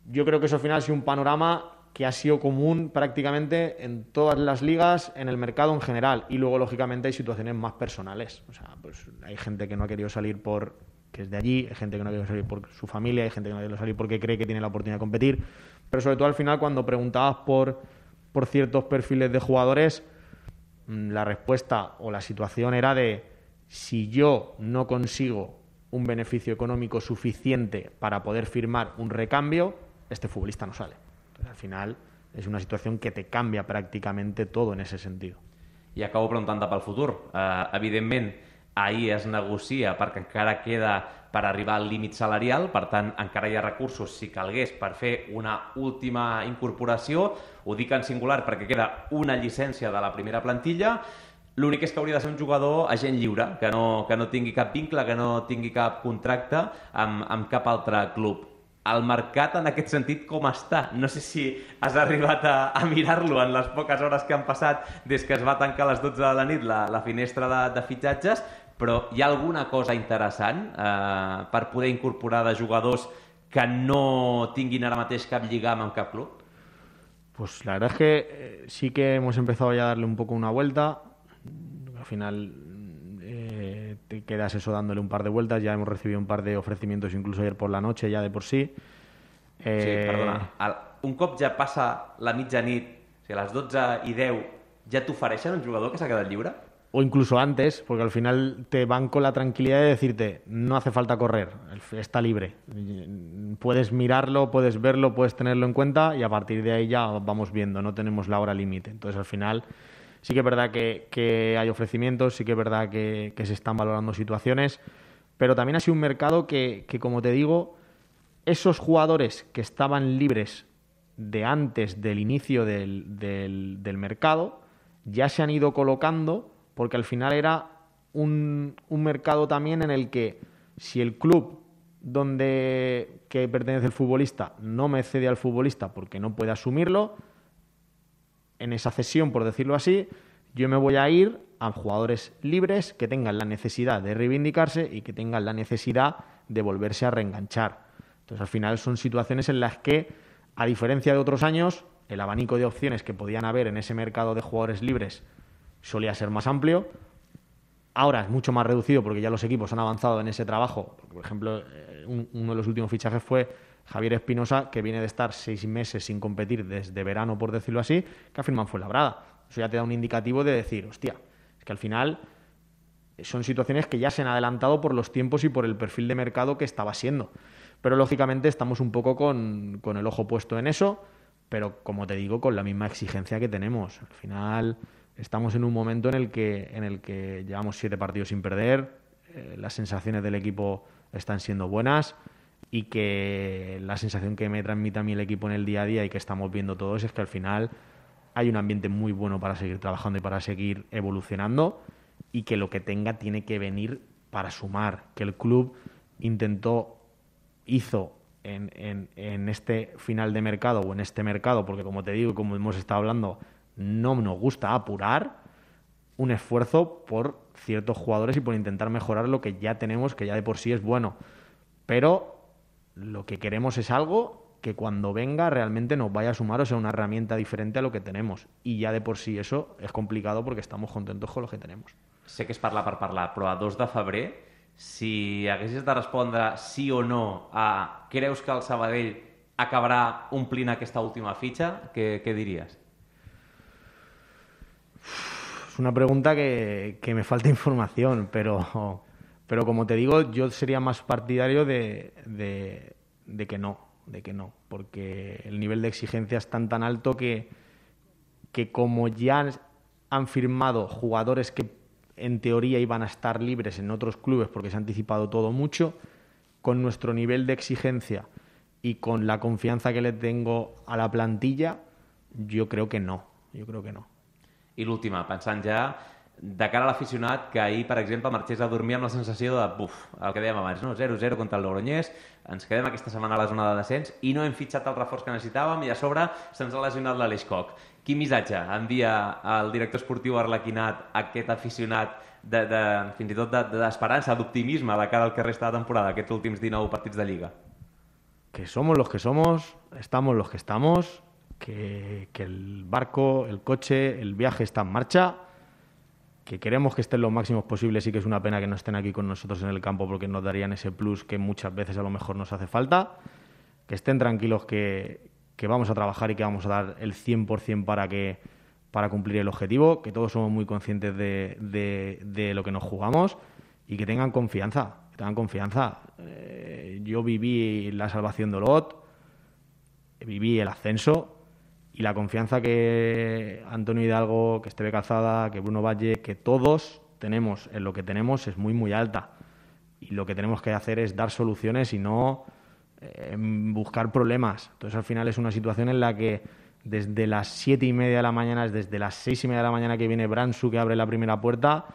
Yo creo que eso al final ha sido un panorama que ha sido común prácticamente en todas las ligas, en el mercado en general, y luego lógicamente hay situaciones más personales. O sea, pues hay gente que no ha querido salir que es de allí, hay gente que no ha querido salir por su familia, hay gente que no ha querido salir porque cree que tiene la oportunidad de competir, pero sobre todo al final cuando preguntabas por ciertos perfiles de jugadores, la respuesta o la situación era de, si yo no consigo un beneficio económico suficiente para poder firmar un recambio, este futbolista no sale. Entonces, al final és una situació que te canvia pràcticament tot en ese sentit. I acabo preguntant-te pel futur. Evidentment, ahir es negocia perquè encara queda per arribar al límit salarial, per tant, encara hi ha recursos, si calgués, per fer una última incorporació. Ho dic en singular perquè queda una llicència de la primera plantilla. L'únic és que hauria de ser un jugador agent lliure, que no tingui cap vincle, que no tingui cap contracte amb cap altre club. El mercat, en aquest sentit, com està? No sé si has arribat a mirar-lo en les poques hores que han passat des que es va tancar a les 12 de la nit la finestra de fitxatges, però hi ha alguna cosa interessant per poder incorporar de jugadors que no tinguin ara mateix cap lligam amb cap club? Pues la verdad es que sí que hemos empezado ya a darle un poco una vuelta. Al final te quedas eso dándole un par de vueltas. Ya hemos recibido un par de ofrecimientos incluso ayer por la noche ya de por sí. Sí, perdona. Un cop ja passa la mitjanit, o sigui, a les 12:10, ja t'ofereixen un jugador que s'ha quedat lliure? O incluso antes, porque al final te van con la tranquilidad de decirte, no hace falta correr, está libre. Puedes mirarlo, puedes verlo, puedes tenerlo en cuenta y a partir de ahí ya vamos viendo, no tenemos la hora límite. Entonces al final sí que es verdad que hay ofrecimientos, sí que es verdad que se están valorando situaciones, pero también ha sido un mercado que como te digo, esos jugadores que estaban libres de antes del inicio del mercado ya se han ido colocando, porque al final era un mercado también en el que si el club que pertenece el futbolista no me cede al futbolista porque no puede asumirlo, en esa cesión, por decirlo así, yo me voy a ir a jugadores libres que tengan la necesidad de reivindicarse y que tengan la necesidad de volverse a reenganchar. Entonces, al final son situaciones en las que, a diferencia de otros años, el abanico de opciones que podían haber en ese mercado de jugadores libres solía ser más amplio. Ahora es mucho más reducido porque ya los equipos han avanzado en ese trabajo. Por ejemplo, uno de los últimos fichajes fue Javier Espinosa, que viene de estar 6 meses sin competir desde verano, por decirlo así, que ha firmado en Fuenlabrada. Eso ya te da un indicativo de decir, hostia, es que al final son situaciones que ya se han adelantado por los tiempos y por el perfil de mercado que estaba siendo. Pero lógicamente estamos un poco con el ojo puesto en eso, pero como te digo, con la misma exigencia que tenemos. Al final estamos en un momento en el que llevamos 7 partidos sin perder, las sensaciones del equipo están siendo buenas y que la sensación que me transmite a mí el equipo en el día a día y que estamos viendo todos es que al final hay un ambiente muy bueno para seguir trabajando y para seguir evolucionando y que lo que tenga tiene que venir para sumar, que el club hizo en este final de mercado o en este mercado, porque como te digo, como hemos estado hablando, no nos gusta apurar, un esfuerzo por ciertos jugadores y por intentar mejorar lo que ya tenemos, que ya de por sí es bueno. Pero lo que queremos es algo que cuando venga realmente nos vaya a sumar, o sea, una herramienta diferente a lo que tenemos. Y ya de por sí eso es complicado porque estamos contentos con lo que tenemos. Sé que és parlar per parlar, però a 2 de febrer, si haguessis de respondre sí o no a creus que el Sabadell acabarà omplint aquesta última fitxa, què diries? Es una pregunta que me falta información, pero como te digo, yo sería más partidario de que no, porque el nivel de exigencia es tan alto que como ya han firmado jugadores que en teoría iban a estar libres en otros clubes porque se ha anticipado todo mucho, con nuestro nivel de exigencia y con la confianza que le tengo a la plantilla, yo creo que no. I l'última, pensant ja de cara a l'aficionat que ahir, per exemple, marxés a dormir amb la sensació de, el que dèiem abans, no? 0-0 contra el Logroñés, ens quedem aquesta setmana a la zona de descens i no hem fitxat el reforç que necessitàvem i a sobre se'ns ha lesionat l'Aleix Koch. Quin missatge envia el director esportiu arlequinat a aquest aficionat fins i tot d'esperança, d'optimisme de cara al que resta de temporada, aquests últims 19 partits de Lliga? Que somos los que somos, estamos los que estamos, que el barco, el coche, el viaje está en marcha, que queremos que estén lo máximos posibles y que es una pena que no estén aquí con nosotros en el campo porque nos darían ese plus que muchas veces a lo mejor nos hace falta, que estén tranquilos que vamos a trabajar y que vamos a dar el 100% para cumplir el objetivo, que todos somos muy conscientes de lo que nos jugamos y que tengan confianza. Yo viví la salvación de Olot, viví el ascenso y la confianza que Antonio Hidalgo, que Esteve Calzada, que Bruno Valle, que todos tenemos en lo que tenemos es muy, muy alta. Y lo que tenemos que hacer es dar soluciones y no buscar problemas. Entonces, al final es una situación en la que desde las 7:30 de la mañana, desde las 6:30 de la mañana que viene Bransu, que abre la primera puerta,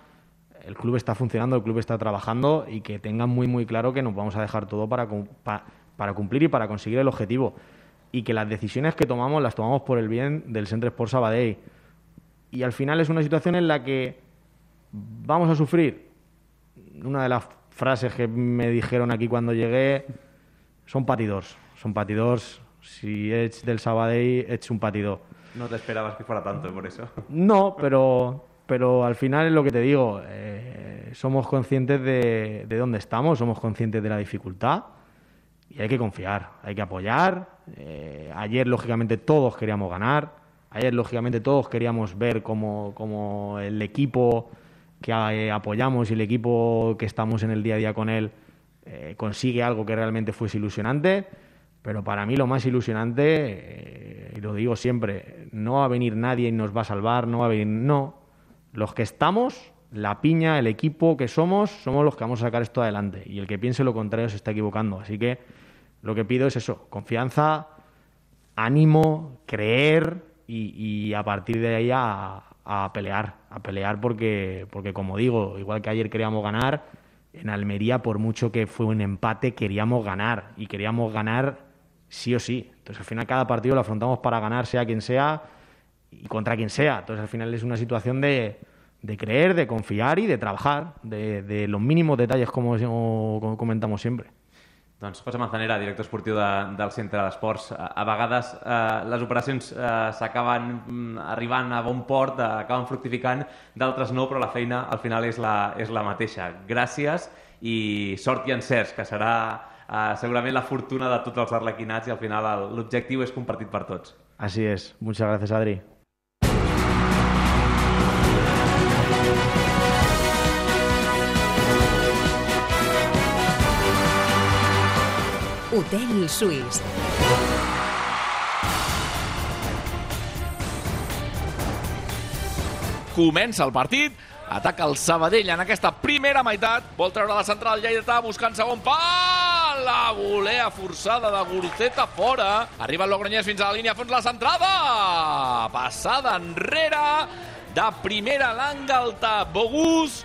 el club está funcionando, el club está trabajando, y que tengan muy, muy claro que nos vamos a dejar todo para cumplir y para conseguir el objetivo. Y que las decisiones que tomamos las tomamos por el bien del Centre Esport Sabadell. Y al final es una situación en la que vamos a sufrir. Una de las frases que me dijeron aquí cuando llegué: son patidors. Si ets del Sabadell, ets un patidor. No te esperabas que fuera tanto, por eso. No, pero al final es lo que te digo. Somos conscientes de dónde estamos, somos conscientes de la dificultad, y hay que confiar, hay que apoyar. Ayer, lógicamente, todos queríamos ganar. Ayer, lógicamente, todos queríamos ver cómo el equipo que apoyamos y el equipo que estamos en el día a día con él consigue algo que realmente fuese ilusionante. Pero para mí lo más ilusionante, y lo digo siempre, no va a venir nadie y nos va a salvar, no. Los que estamos, la piña, el equipo que somos los que vamos a sacar esto adelante. Y el que piense lo contrario se está equivocando. Así que lo que pido es eso: confianza, ánimo, creer, y a partir de ahí a pelear porque como digo, igual que ayer queríamos ganar, en Almería, por mucho que fue un empate, queríamos ganar, y queríamos ganar sí o sí. Entonces, al final, cada partido lo afrontamos para ganar, sea quien sea y contra quien sea. Entonces, al final es una situación de creer, de confiar y de trabajar, de los mínimos detalles, como comentamos siempre. Doncs José Manzanera, director esportiu del Centre d'Esports. A vegades les operacions s'acaben arribant a bon port, acaben fructificant, d'altres no, però la feina al final és la mateixa. Gràcies i sort i encerts, que serà segurament la fortuna de tots els arlequinats, i al final l'objectiu és compartit per tots. Así es. Muchas gracias, Adri. Hotel Suís. Comença el partit, ataca el Sabadell en aquesta primera meitat, vol treure la central lleidatà buscant segon pal, la volea forçada de Guruceta fora, arriba el Logroñés fins a la línia fons, la centrada, passada enrere, de primera l'Angalta, Bogus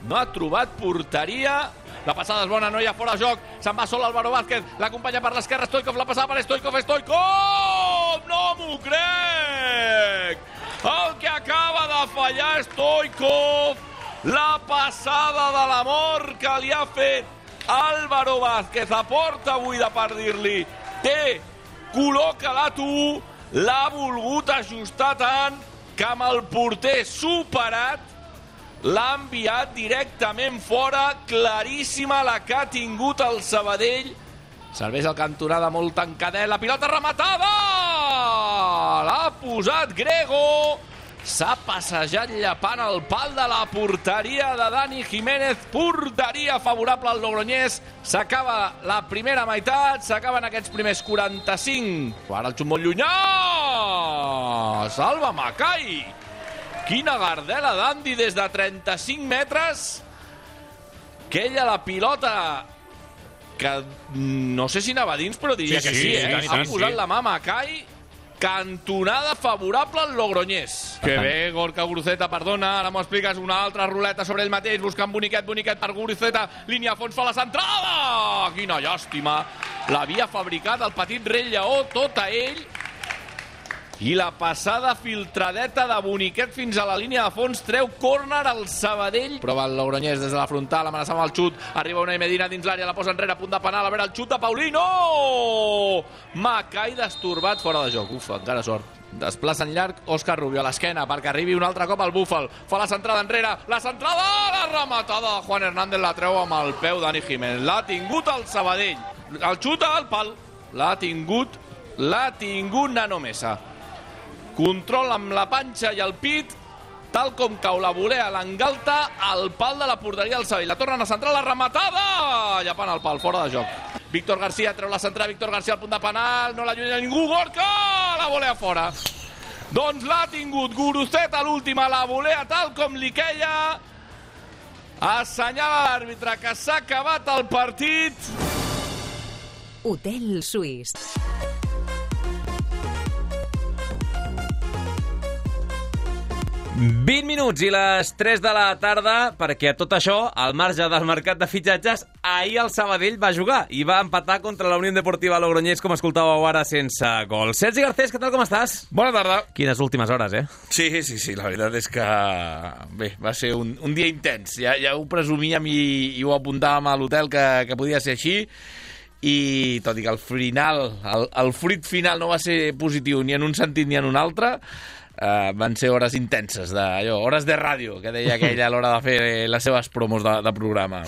no ha trobat porteria. La passada és bona, no hi ha fora de joc. Se'n va sol Álvaro Vázquez, l'acompanya per l'esquerra Stoikov, la passada per Stoikov! No m'ho crec! El que acaba de fallar Stoikov, la passada de la mort que li ha fet Álvaro Vázquez a porta buida, per dir-li: col·loca-la tu. L'ha volgut ajustar tant que amb el porter superat l'ha enviat directament fora. Claríssima la que ha tingut el Sabadell. Serveix el cantonada molt tancadet, la pilota rematada! L'ha posat Grego. S'ha passejat llepant el pal de la porteria de Dani Jiménez. Porteria favorable al Logroñés. S'acaba la primera meitat, s'acaben aquests primers 45. Ara el xut molt llunyà! Salva Macai! Quina gardela d'Andy des de 35 metres. Quella la pilota que no sé si anava dins, però diria que sí, ha posat la mà Macai. Cantonada favorable al Logroñés. Que bé, Gorka Guruceta, perdona, ara m'ho expliques, una altra ruleta sobre ell mateix, buscant Boniquet per Guruceta, línia a fons, fa la centrada! Quina llàstima! L'havia fabricat el petit rei Lleó, tot a ell, i la passada filtradeta de Boniquet fins a la línia de fons treu córner al Sabadell. Prova el Logroñés des de la frontal, amenaça amb el xut, arriba Unai Medina dins l'àrea, la posa enrere, a punt de penal, a veure el xut de Paulino! Macai destorbat, fora de joc. Ufa, encara sort. Desplaça en llarg Òscar Rubio a l'esquena perquè arribi un altre cop al búfal. Fa la centrada enrere, la centrada, la rematada de Juan Hernández, la treu amb el peu Dani Jiménez. L'ha tingut el Sabadell. El xuta al pal. L'ha tingut Nano Mesa. Control amb la panxa i el pit, tal com cau la volea l'Angalta al pal de la porteria del Sabadell. La tornen a centrar, la rematada, llepant el pal, fora de joc. Víctor García treu la centrada, Víctor García al punt de penal, no l'allunya ningú, Gorka, la volea fora. Doncs l'ha tingut Guruceta a l'última, la volea tal com li queia, Assenyala l'àrbitre que s'ha acabat el partit. Hotel Suís. ...20 minuts i les 3 de la tarda, perquè a tot això, al marge del mercat de fitxatges, ahir el Sabadell va jugar i va empatar contra la Unió Deportiva Logroñés, com escoltàveu ara, sense gol. Sergi Garcés, què tal, com estàs? Bona tarda. Quines últimes hores, Sí, la veritat és que... Bé, va ser un dia intens. Ja ho presumíem i ho apuntàvem a l'hotel que podia ser així, i tot i que el fruit final no va ser positiu ni en un sentit ni en un altre, van ser hores intenses, hores de ràdio, que deia aquella a l'hora de fer les seves promos de programa.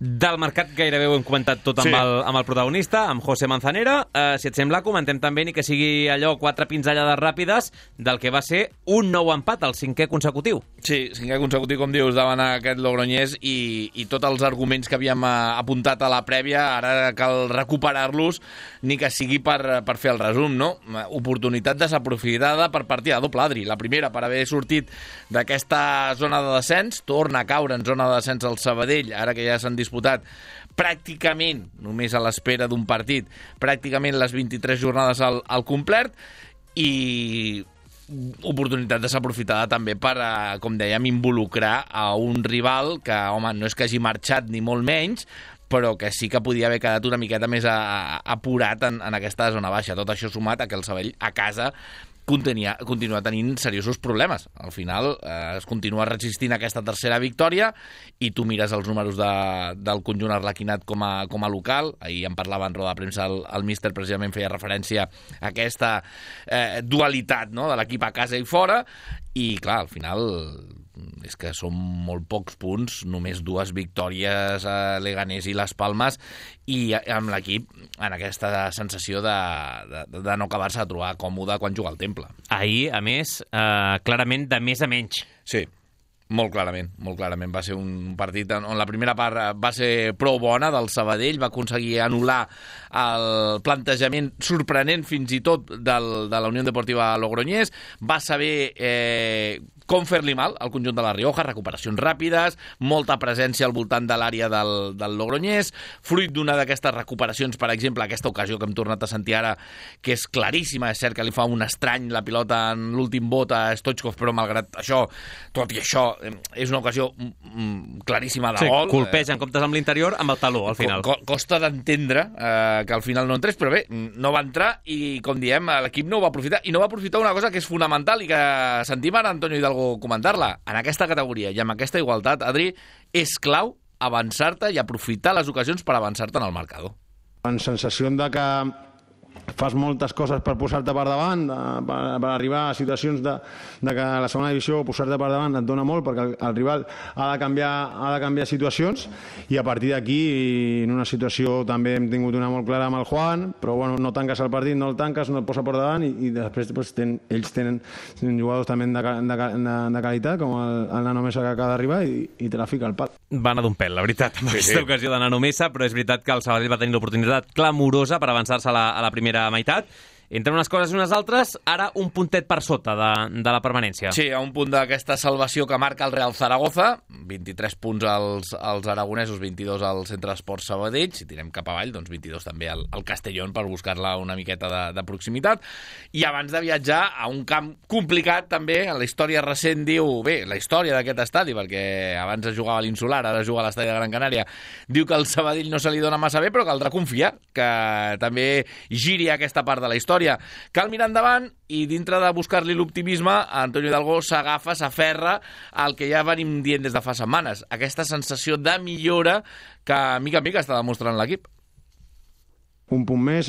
Del mercat gairebé ho hem comentat tot amb el protagonista, amb José Manzanera. Si et sembla, comentem també, ni que sigui allò 4 pinzellades ràpides del que va ser un nou empat, el 5è consecutiu. Sí, 5è consecutiu, com dius, davant aquest Logroñés, i tots els arguments que havíem apuntat a la prèvia, ara cal recuperar-los, ni que sigui per fer el resum, no? Oportunitat desaprofitada per partida de doble adri. La primera, per haver sortit d'aquesta zona de descens, torna a caure en zona de descens el Sabadell, ara que ja s'han disputat pràcticament, només a l'espera d'un partit, pràcticament les 23 jornades al complet, i oportunitat desaprofitada també per, com dèiem, involucrar a un rival que, home, no és que hagi marxat ni molt menys, però que sí que podia haver quedat una miqueta més apurat en aquesta zona baixa. Tot això sumat a que el Sabadell a casa continua tenint seriosos problemes. Al final es continua resistint aquesta tercera victòria, i tu mires els números del conjunt arlequinat com a local. Ahir en parlava en roda de premsa el míster, precisament feia referència a aquesta dualitat, no?, de l'equip a casa i fora, i clar, al final és que són molt pocs punts, només 2 victòries a Leganés i Les Palmes, i amb l'equip en aquesta sensació de no acabar-se de trobar còmode quan juga al Temple. Ahir, a més, clarament de més a menys. Sí, molt clarament. Va ser un partit on la primera part va ser prou bona del Sabadell, va aconseguir anul·lar el plantejament sorprenent fins i tot de la Unió Deportiva Logroñés, va saber com fer-li mal al conjunt de la Rioja, recuperacions ràpides, molta presència al voltant de l'àrea del Logroñés, fruit d'una d'aquestes recuperacions, per exemple, aquesta ocasió que hem tornat a sentir ara, que és claríssima, és cert que li fa un estrany la pilota en l'últim bot a Stoichkov, però malgrat això, tot i això, és una ocasió claríssima de gol. Colpeja en comptes amb l'interior amb el taló, al final. Costa d'entendre que al final no entrés, però bé, no va entrar, i com diem, l'equip no ho va aprofitar, i no va aprofitar una cosa que és fonamental i que sentim ara Antonio Hidalgo comentar-la. En aquesta categoria i amb aquesta igualtat, Adri, és clau avançar-te i aprofitar les ocasions per avançar-te en el marcador. En sensació de que fas moltes coses per posar-te per davant, per arribar a situacions de que la segona divisió posar-te per davant et dona molt, perquè el rival ha de canviar situacions, i a partir d'aquí, en una situació també hem tingut una molt clara amb el Juan, però bueno, no tanques el partit, no el tanques, no et posa per davant, i després ells tenen jugadors també de qualitat, com el Nano Mesa que acaba d'arribar, i te la fica al pal. Va anar d'un pèl, la veritat, amb aquesta ocasió de Nano Mesa, però és veritat que el Sabadell va tenir l'oportunitat clamorosa per avançar-se a la primera meitat. Entre unes coses i unes altres, ara un puntet per sota de la permanència. Sí, a un punt d'aquesta salvació que marca el Real Zaragoza, 23 punts als aragonesos, 22 al Centre d'Esports Sabadell, si tirem cap avall, doncs 22 també al Castellón per buscar-la una miqueta de proximitat, i abans de viatjar a un camp complicat també, en la història recent diu, bé, la història d'aquest estadi, perquè abans es jugava a l'Insular, ara es juga a l'estadi de Gran Canària, diu que el Sabadell no se li dona massa bé, però caldrà confiar que també giri aquesta part de la història. Cal mirar endavant, i dintre de buscar-li l'optimisme, Antonio Hidalgo s'agafa, s'aferra al que ja venim dient des de fa setmanes, aquesta sensació de millora que mica en mica està demostrant l'equip. Un punt més,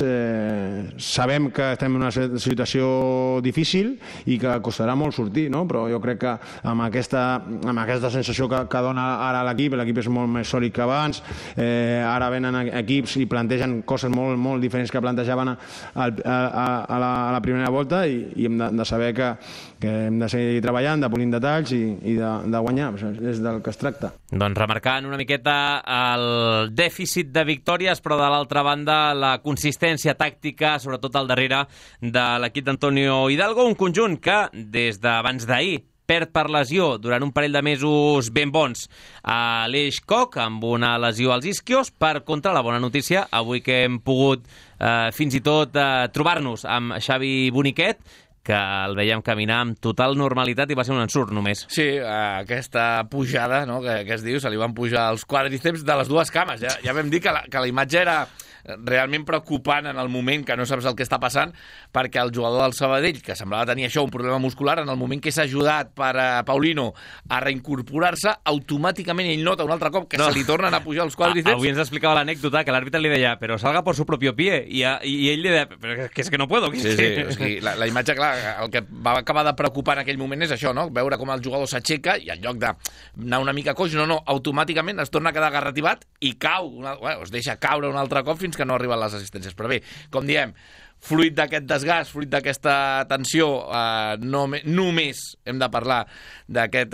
sabem que estem en una situació difícil i que costarà molt sortir, no? Però jo crec que amb aquesta sensació que dona ara l'equip és molt més sòlid que abans, ara venen equips i plantegen coses molt, molt diferents que plantejaven a la primera volta, i hem de saber que hem de seguir treballant, de polir detalls i de guanyar, és del que es tracta. Doncs remarcant una miqueta el dèficit de victòries, però de l'altra banda la consistència tàctica, sobretot al darrere de l'equip d'Antonio Hidalgo, un conjunt que des d'abans d'ahir perd per lesió durant un parell de mesos ben bons a l'Eix Koch, amb una lesió als isquios. Per contra, la bona notícia, avui que hem pogut fins i tot trobar-nos amb Xavi Boniquet, que el veiem caminar amb total normalitat i va ser un ensurt només. Sí, aquesta pujada, no, que es diu, se li van pujar els quàdriceps de les dues cames. Ja vam dir que la imatge era realment preocupant en el moment que no saps el que està passant, perquè el jugador del Sabadell, que semblava tenir això, un problema muscular, en el moment que és ajudat per Paulino a reincorporar-se, automàticament ell nota un altre cop que se li tornen a pujar els quàdriceps. Avui ens explicava l'anècdota que l'àrbitre li deia però salga por su propio pie, i ell li deia però que és que no puedo. Sí, la imatge, clar, el que va acabar de preocupar en aquell moment és això, no? Veure com el jugador s'aixeca i en lloc d'anar una mica coix, no, automàticament es torna a quedar agarrativat i cau, es deixa caure un altre cop fins que no arriben les assistències. Però bé, com diem, fruit d'aquest desgast, fruit d'aquesta tensió, només hem de parlar d'aquest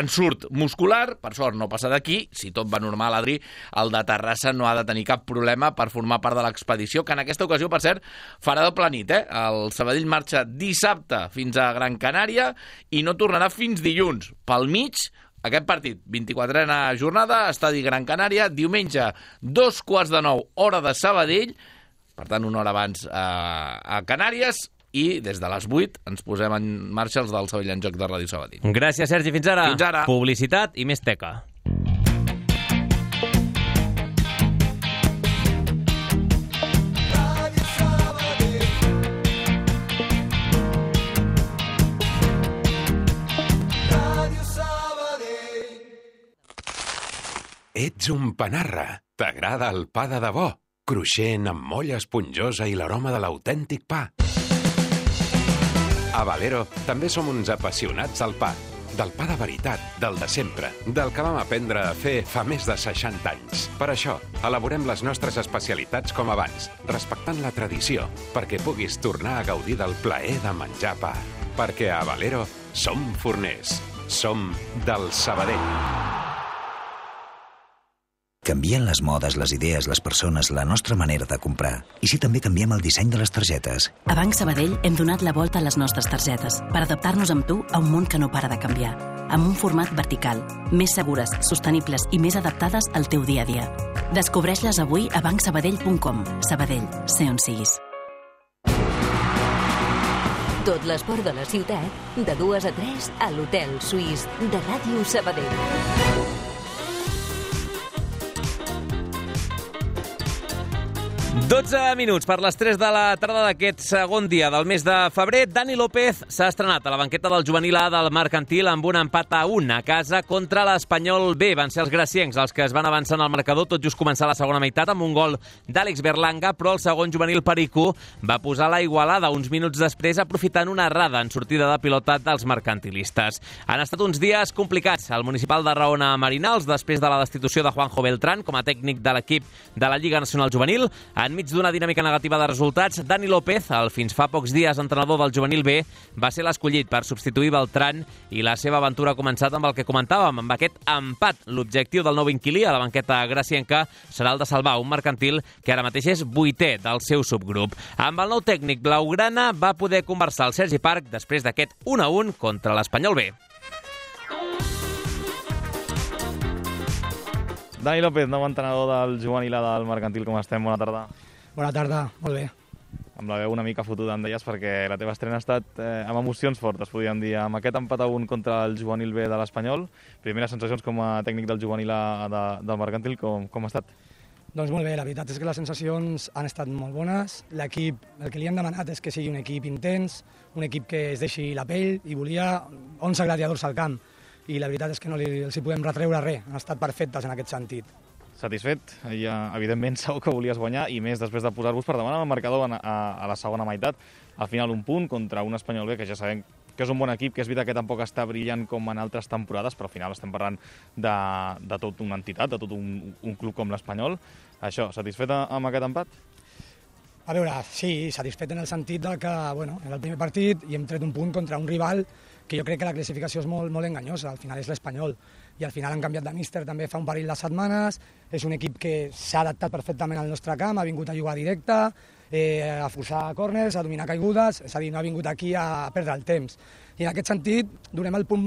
ensurt muscular. Per sort no passa d'aquí. Si tot va normal, Adri, el de Terrassa no ha de tenir cap problema per formar part de l'expedició, que en aquesta ocasió, per cert, farà doble nit. El Sabadell marxa dissabte fins a Gran Canària i no tornarà fins dilluns. Pel mig, aquest partit, 24a jornada, estadi Gran Canària, diumenge, 8:45, hora de Sabadell, per tant, una hora abans a Canàries, i des de les 8 ens posem en marxa els del Sabadell en Joc de Ràdio Sabadell. Gràcies, Sergi. Fins ara. Fins ara. Publicitat i més teca. Ets un panarra. T'agrada el pa de debò? Cruixent, amb molla esponjosa i l'aroma de l'autèntic pa. A Valero també som uns apassionats del pa. Del pa de veritat, del de sempre, del que vam aprendre a fer fa més de 60 anys. Per això, elaborem les nostres especialitats com abans, respectant la tradició, perquè puguis tornar a gaudir del plaer de menjar pa. Perquè a Valero som forners. Som del Sabadell. Canvien les modes, les idees, les persones, la nostra manera de comprar. I si també canviem el disseny de les targetes? A Banc Sabadell hem donat la volta a les nostres targetes per adaptar-nos amb tu a un món que no para de canviar. Amb un format vertical, més segures, sostenibles i més adaptades al teu dia a dia. Descobreix-les avui a bancsabadell.com. Sabadell, sé on siguis. Tot l'esport de la ciutat, de 2 a 3 a l'Hotel Suís de Ràdio Sabadell. 12 minuts per les 3 de la tarda d'aquest segon dia del mes de febrer. Dani López s'ha estrenat a la banqueta del juvenil A del Mercantil amb un empat a 1 a casa contra l'Espanyol B. Van ser els graciencs els que es van avançar en el marcador tot just començar la segona meitat amb un gol d'Àlex Berlanga, però el segon juvenil Pericú va posar la igualada uns minuts després aprofitant una errada en sortida de pilota dels mercantilistes. Han estat uns dies complicats al municipal de Raona Marinals després de la destitució de Juanjo Beltrán com a tècnic de l'equip de la Lliga Nacional Juvenil. Enmig d'una dinàmica negativa de resultats, Dani López, el fins fa pocs dies entrenador del juvenil B, va ser l'escollit per substituir Beltrán i la seva aventura ha començat amb el que comentàvem, amb aquest empat. L'objectiu del nou inquilí a la banqueta gracienca serà el de salvar un mercantil que ara mateix és 8è del seu subgrup. Amb el nou tècnic blaugrana va poder conversar el Sergi Parc després d'aquest 1-1 contra l'Espanyol B. Dani López, nou entrenador del juvenil A del Mercantil, com estem? Bona tarda. Bona tarda, molt bé. Amb la veu una mica fotuda, em deies, perquè la teva estrena ha estat amb emocions fortes, podríem dir. Amb aquest empat a 1 contra el juvenil B de l'Espanyol, primeres sensacions com a tècnic del juvenil A del Mercantil, com ha estat? Doncs molt bé, la veritat és que les sensacions han estat molt bones. L'equip, el que li hem demanat és que sigui un equip intens, un equip que es deixi la pell, i volia 11 gladiadors al camp. I la veritat és que no els hi podem retreure res, han estat perfectes en aquest sentit. Satisfet? Ja, evidentment, segur que volies guanyar, i més després de posar-vos per davant amb el marcador a la segona meitat. Al final un punt contra un Espanyol B, que ja sabem que és un bon equip, que és veritat que tampoc està brillant com en altres temporades, però al final estem parlant de tota una entitat, de tot un club com l'Espanyol. Això, satisfet amb aquest empat? A veure, sí, satisfet en el sentit que, bueno, en el primer partit hi hem tret un punt contra un rival que jo crec que la classificació és molt enganyosa, al final és l'Espanyol, i al final han canviat de míster també fa un parell de setmanes, és un equip que s'ha adaptat perfectament al nostre camp, ha vingut a jugar directe, a forçar córners, a dominar caigudes, és a dir, no ha vingut aquí a perdre el temps. I en aquest sentit donem el punt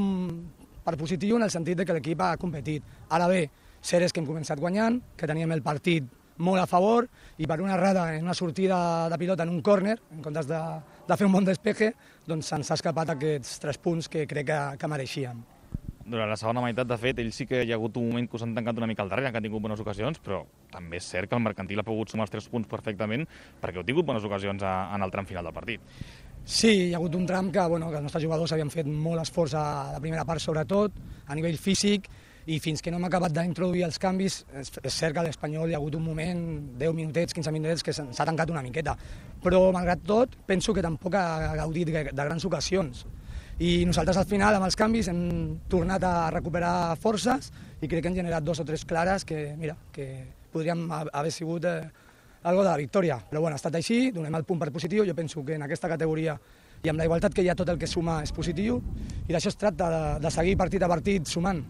per positiu en el sentit de que l'equip ha competit. Ara bé, cert és que hem començat guanyant, que teníem el partit molt a favor i per una errada en una sortida de pilota en un córner, en comptes de fer un bon despeje, doncs se'ns ha escapat aquests 3 punts que crec que mereixíem. Durant la segona meitat, de fet, ells sí que hi ha hagut un moment que s'han tancat una mica al darrere, que han tingut bones ocasions, però també és cert que el Mercantil ha pogut sumar els 3 punts perfectament perquè heu tingut bones ocasions en el tram final del partit. Sí, hi ha hagut un tram que els nostres jugadors havien fet molt esforç a la primera part, sobretot, a nivell físic, i fins que no hem acabat d'introduir els canvis, és cert que a l'Espanyol hi ha hagut un moment, 10 minutets, 15 minutets, que s'ha tancat una miqueta. Però, malgrat tot, penso que tampoc ha gaudit de grans ocasions. I nosaltres, al final, amb els canvis, hem tornat a recuperar forces i crec que hem generat 2 o 3 clares que, mira, que podríem haver sigut algo de la victòria. Però, bueno, ha estat així, donem el punt per positiu. Jo penso que en aquesta categoria i amb la igualtat que hi ha, tot el que suma és positiu i d'això es tracta, de seguir partit a partit sumant.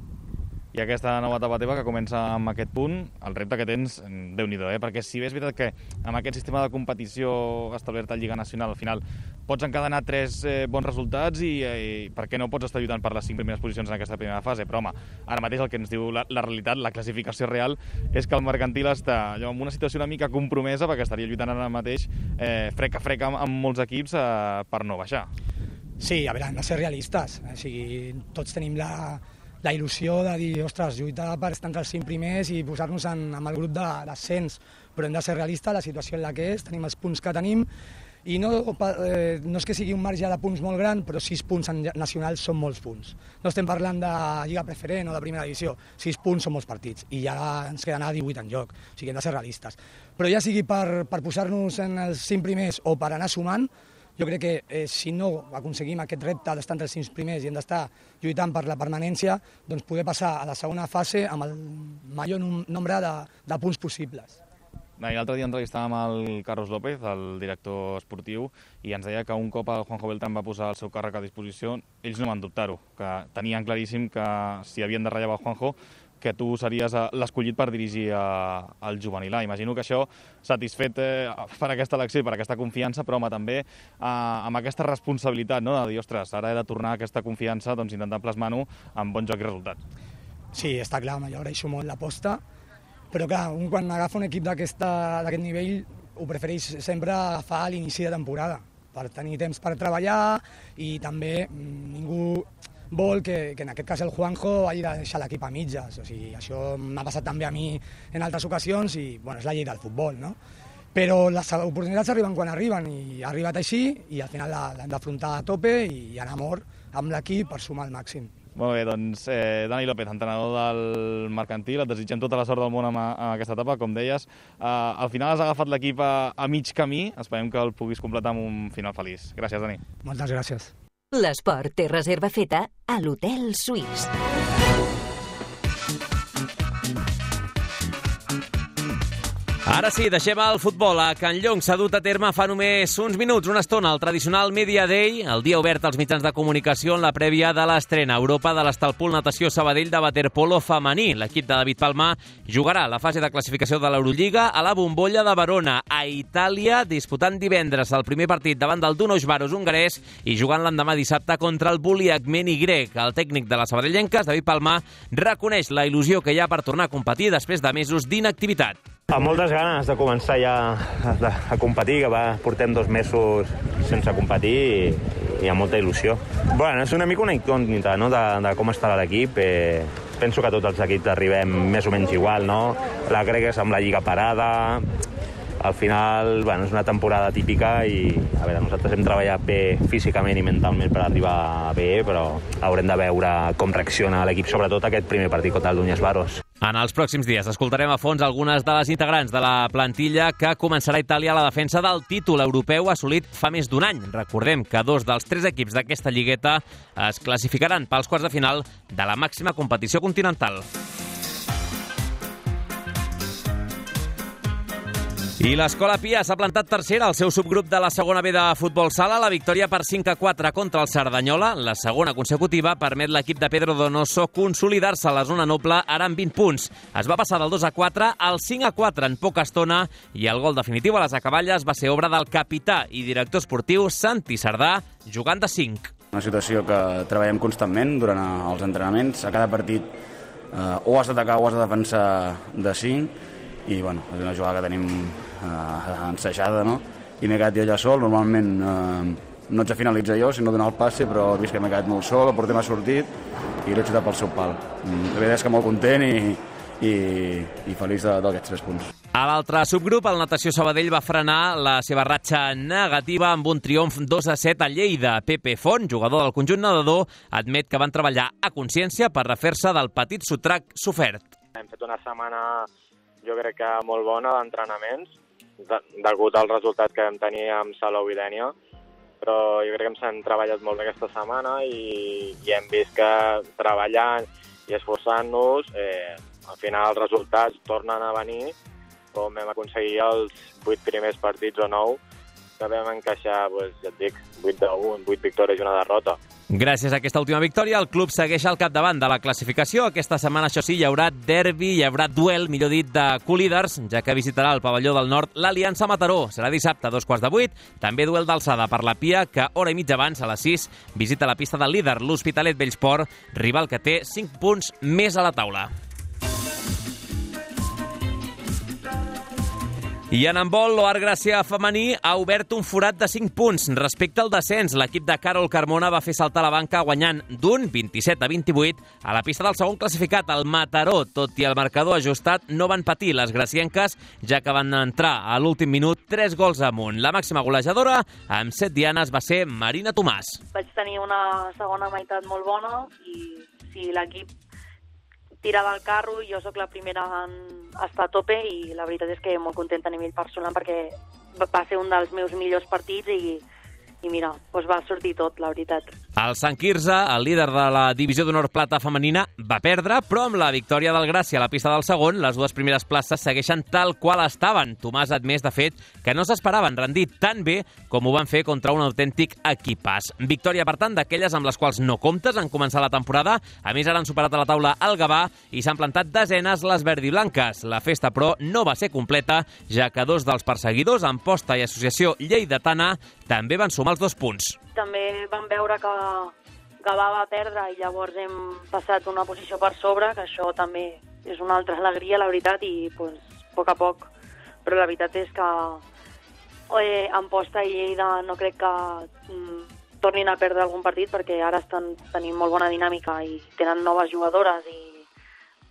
I aquesta nova etapa teva que comença amb aquest punt, el repte que tens, Déu-n'hi-do, perquè si bé és veritat que amb aquest sistema de competició establert a Lliga Nacional, al final pots encadenar 3 bons resultats i per què no pots estar lluitant per les 5 primeres posicions en aquesta primera fase? Però, home, ara mateix el que ens diu la realitat, la classificació real, és que el Mercantil està en una situació una mica compromesa perquè estaria lluitant ara mateix frec a frec amb molts equips per no baixar. Sí, a veure, hem de ser realistes. O sigui, tots tenim la il·lusió de dir, ostres, lluitar per estar entre els 5 primers i posar-nos amb el grup d'ascens, però hem de ser realistes, la situació en la que és, tenim els punts que tenim, i no és que sigui un marge de punts molt gran, però 6 punts nacionals són molts punts. No estem parlant de Lliga Preferent o de Primera Divisió, 6 punts són molts partits, i ja ens queden a 18 en joc, o sigui, hem de ser realistes. Però ja sigui per posar-nos en els 5 primers o per anar sumant, jo crec que si no aconseguim aquest repte d'estar entre els 5 primers i hem d'estar lluitant per la permanència, doncs poder passar a la segona fase amb el major nombre de punts possibles. L'altre dia entrevistàvem el Carlos López, el director esportiu, i ens deia que un cop el Juanjo Beltrán va posar el seu càrrec a disposició, ells no van dubtar-ho, que tenien claríssim que si havien de rellevar el Juanjo, que tu series l'escollit per dirigir el juvenil A. Imagino que això, satisfet per aquesta elecció i per aquesta confiança, però home, també amb aquesta responsabilitat, no? De dir, ostres, ara he de tornar aquesta confiança, doncs intentar plasmar-ho amb bon joc i resultats. Sí, està clar, jo agraeixo molt l'aposta, però clar, quan agafa un equip d'aquest nivell ho prefereix sempre agafar a l'inici de temporada, per tenir temps per treballar i també ningú vol que en aquest cas el Juanjo hagi de deixar l'equip a mitges. O sigui, això m'ha passat també a mi en altres ocasions i bueno, és la llei del futbol, no? Però les oportunitats arriben quan arriben i ha arribat així i al final l'hem d'afrontar a tope i anar a mort amb l'equip per sumar al màxim. Molt bé, doncs Dani López, entrenador del Mercantil, et desitgem tota la sort del món en aquesta etapa, com deies. Al final has agafat l'equip a mig camí, esperem que el puguis completar amb un final feliç. Gràcies, Dani. Moltes gràcies. L'esport té reserva feta a l'Hotel Suís. Ara sí, deixem el futbol. A Can Llong s'ha dut a terme fa només uns minuts, una estona, el tradicional Media Day, el dia obert als mitjans de comunicació en la prèvia de l'estrena a Europa de l'Estalpul Natació Sabadell de waterpolo femení. L'equip de David Palma jugarà la fase de classificació de l'Eurolliga a la Bombolla de Verona, a Itàlia, disputant divendres el primer partit davant del Dunos Varos hongarès i jugant l'endemà dissabte contra el Buliak Meni grec. El tècnic de les sabadellenques, David Palma, reconeix la il·lusió que hi ha per tornar a competir després de mesos d'inactivitat. Amb moltes ganes de començar ja a competir, que portem 2 mesos sense competir i amb molta il·lusió. Bueno, és una mica una incògnita, no?, de com estarà l'equip. Penso que tots els equips arribem més o menys igual, no? La grega és amb la lliga parada. Al final, bueno, és una temporada típica i, a veure, nosaltres hem treballat bé físicament i mentalment per arribar bé, però haurem de veure com reacciona l'equip, sobretot aquest primer partit contra el Dunes Varos. En els pròxims dies escoltarem a fons algunes de les integrants de la plantilla que començarà a Itàlia a la defensa del títol europeu assolit fa més d'un any. Recordem que 2 dels 3 equips d'aquesta lligueta es classificaran pels quarts de final de la màxima competició continental. I l'Escola Pia s'ha plantat tercera al seu subgrup de la segona B de futbol sala. La victòria per 5-4 contra el Cerdanyola, la segona consecutiva, permet l'equip de Pedro Donoso consolidar-se a la zona noble ara amb 20 punts. Es va passar del 2-4 al 5-4 en poca estona i el gol definitiu a les acaballes va ser obra del capità i director esportiu Santi Sardà, jugant de 5. Una situació que treballem constantment durant els entrenaments. A cada partit o has d'atacar o has de defensar de 5 i bueno, és una jugada que tenim ensajada, no? I m'he quedat jo allà sol, normalment no ets a finalitzar jo, sinó donar el passe, però he vist que m'he quedat molt sol, el porter m'ha sortit i l'he xutat pel seu pal. La veritat és que molt content i feliç d'aquests 3 punts. A l'altre subgrup, el Natació Sabadell va frenar la seva ratxa negativa amb un triomf 2-7 a Lleida. Pepe Font, jugador del conjunt nedador, admet que van treballar a consciència per refer-se del petit sotrac sofert. Hem fet una setmana, jo crec que molt bona d'entrenaments, degut al resultat que vam tenir amb Salou i Dénia, però jo crec que ens hem treballat molt bé aquesta setmana i hem vist que treballant i esforçant-nos, al final els resultats tornen a venir, com vam aconseguir els 8 primers partits o 9, que vam encaixar, ja et dic, 8-1, 8 victòries i una derrota. Gràcies a aquesta última victòria, el club segueix al capdavant de la classificació. Aquesta setmana, això sí, hi haurà derbi, hi haurà duel, millor dit, de co-líders, ja que visitarà el pavelló del Nord l'Aliança Mataró. Serà dissabte a 2:15. També duel d'alçada per la Pia, que hora i mitja abans, a les 6, visita la pista del líder, l'Hospitalet Bellsport, rival que té 5 punts més a la taula. I en handbol, l'Oar Gràcia femení ha obert un forat de 5 punts. Respecte al descens, l'equip de Carol Carmona va fer saltar la banca guanyant d'un 27-28 a la pista del segon classificat, el Mataró. Tot i el marcador ajustat, no van patir les gracienques, ja que van entrar a l'últim minut 3 gols amunt. La màxima golejadora, amb 7 dianes, va ser Marina Tomàs. Vaig tenir una segona meitat molt bona i si l'equip tirava el carro, jo sóc la primera en estar a tope i la veritat és que molt contenta a nivell personal perquè va ser un dels meus millors partits i mira, doncs va sortir tot, la veritat. El Sant Quirze, el líder de la divisió d'honor plata femenina, va perdre, però amb la victòria del Gràcia a la pista del segon, les dues primeres places segueixen tal qual estaven. Tomàs ha admès, de fet, que no s'esperaven rendir tan bé com ho van fer contra un autèntic equipàs. Victòria, per tant, d'aquelles amb les quals no comptes en començar la temporada. A més, ara han superat a la taula el Gavà i s'han plantat desenes les verdiblanques. La festa, però, no va ser completa, ja que 2 dels perseguidors, Amposta i Associació Lleidatana, també van sumar els 2 punts. També vam veure que Gavà va perdre i llavors hem passat una posició per sobre, que això també és una altra alegria, la veritat, i pues, a poc a poc. Però la veritat és que Amposta i Lleida no crec que tornin a perdre algun partit perquè ara estan tenint molt bona dinàmica i tenen noves jugadores i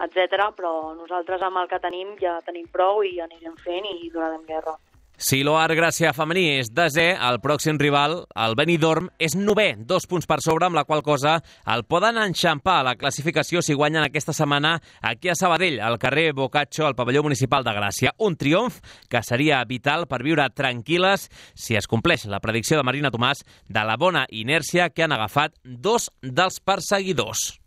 etc. Però nosaltres amb el que tenim ja tenim prou i anirem fent i donarem guerra. Si l'Oar Gràcia femení és desè, el pròxim rival, el Benidorm, és 9è, 2 punts per sobre, amb la qual cosa el poden enxampar a la classificació si guanyen aquesta setmana aquí a Sabadell, al carrer Boccaccio, al pavelló municipal de Gràcia. Un triomf que seria vital per viure tranquil·les si es compleix la predicció de Marina Tomàs de la bona inèrcia que han agafat 2 dels perseguidors.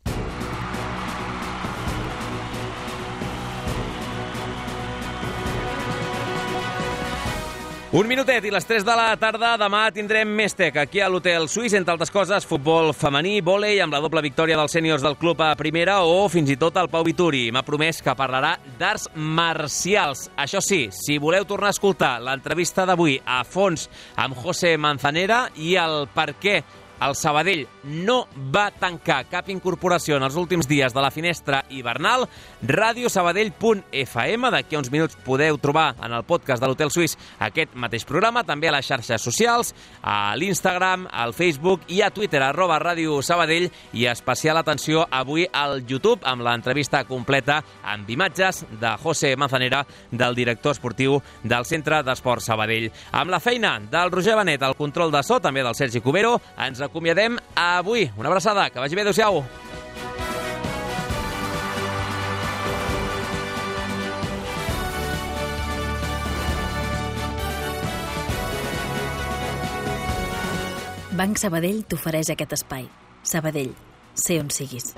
Un minutet i les 3 de la tarda. Demà tindrem més tec aquí a l'Hotel Suís, entre altres coses, futbol femení, vòlei, amb la doble victòria dels sèniors del club a primera o fins i tot el Pau Vituri. M'ha promès que parlarà d'arts marcials. Això sí, si voleu tornar a escoltar l'entrevista d'avui a fons amb José Manzanera i el per què el Sabadell no va tancar cap incorporació en els últims dies de la finestra hivernal, radiosabadell.fm. D'aquí a uns minuts podeu trobar en el podcast de l'Hotel Suís aquest mateix programa, també a les xarxes socials, a l'Instagram, al Facebook i a Twitter, @Ràdio Sabadell, i especial atenció avui al YouTube amb l'entrevista completa amb imatges de José Manzanera, del director esportiu del Centre d'Esport Sabadell. Amb la feina del Roger Benet, el control de so, també del Sergi Cubero, ens acomiadem avui. Una abraçada, que vagi bé, adéu-siau. Banc Sabadell t'ofereix aquest espai. Sabadell, sé on siguis.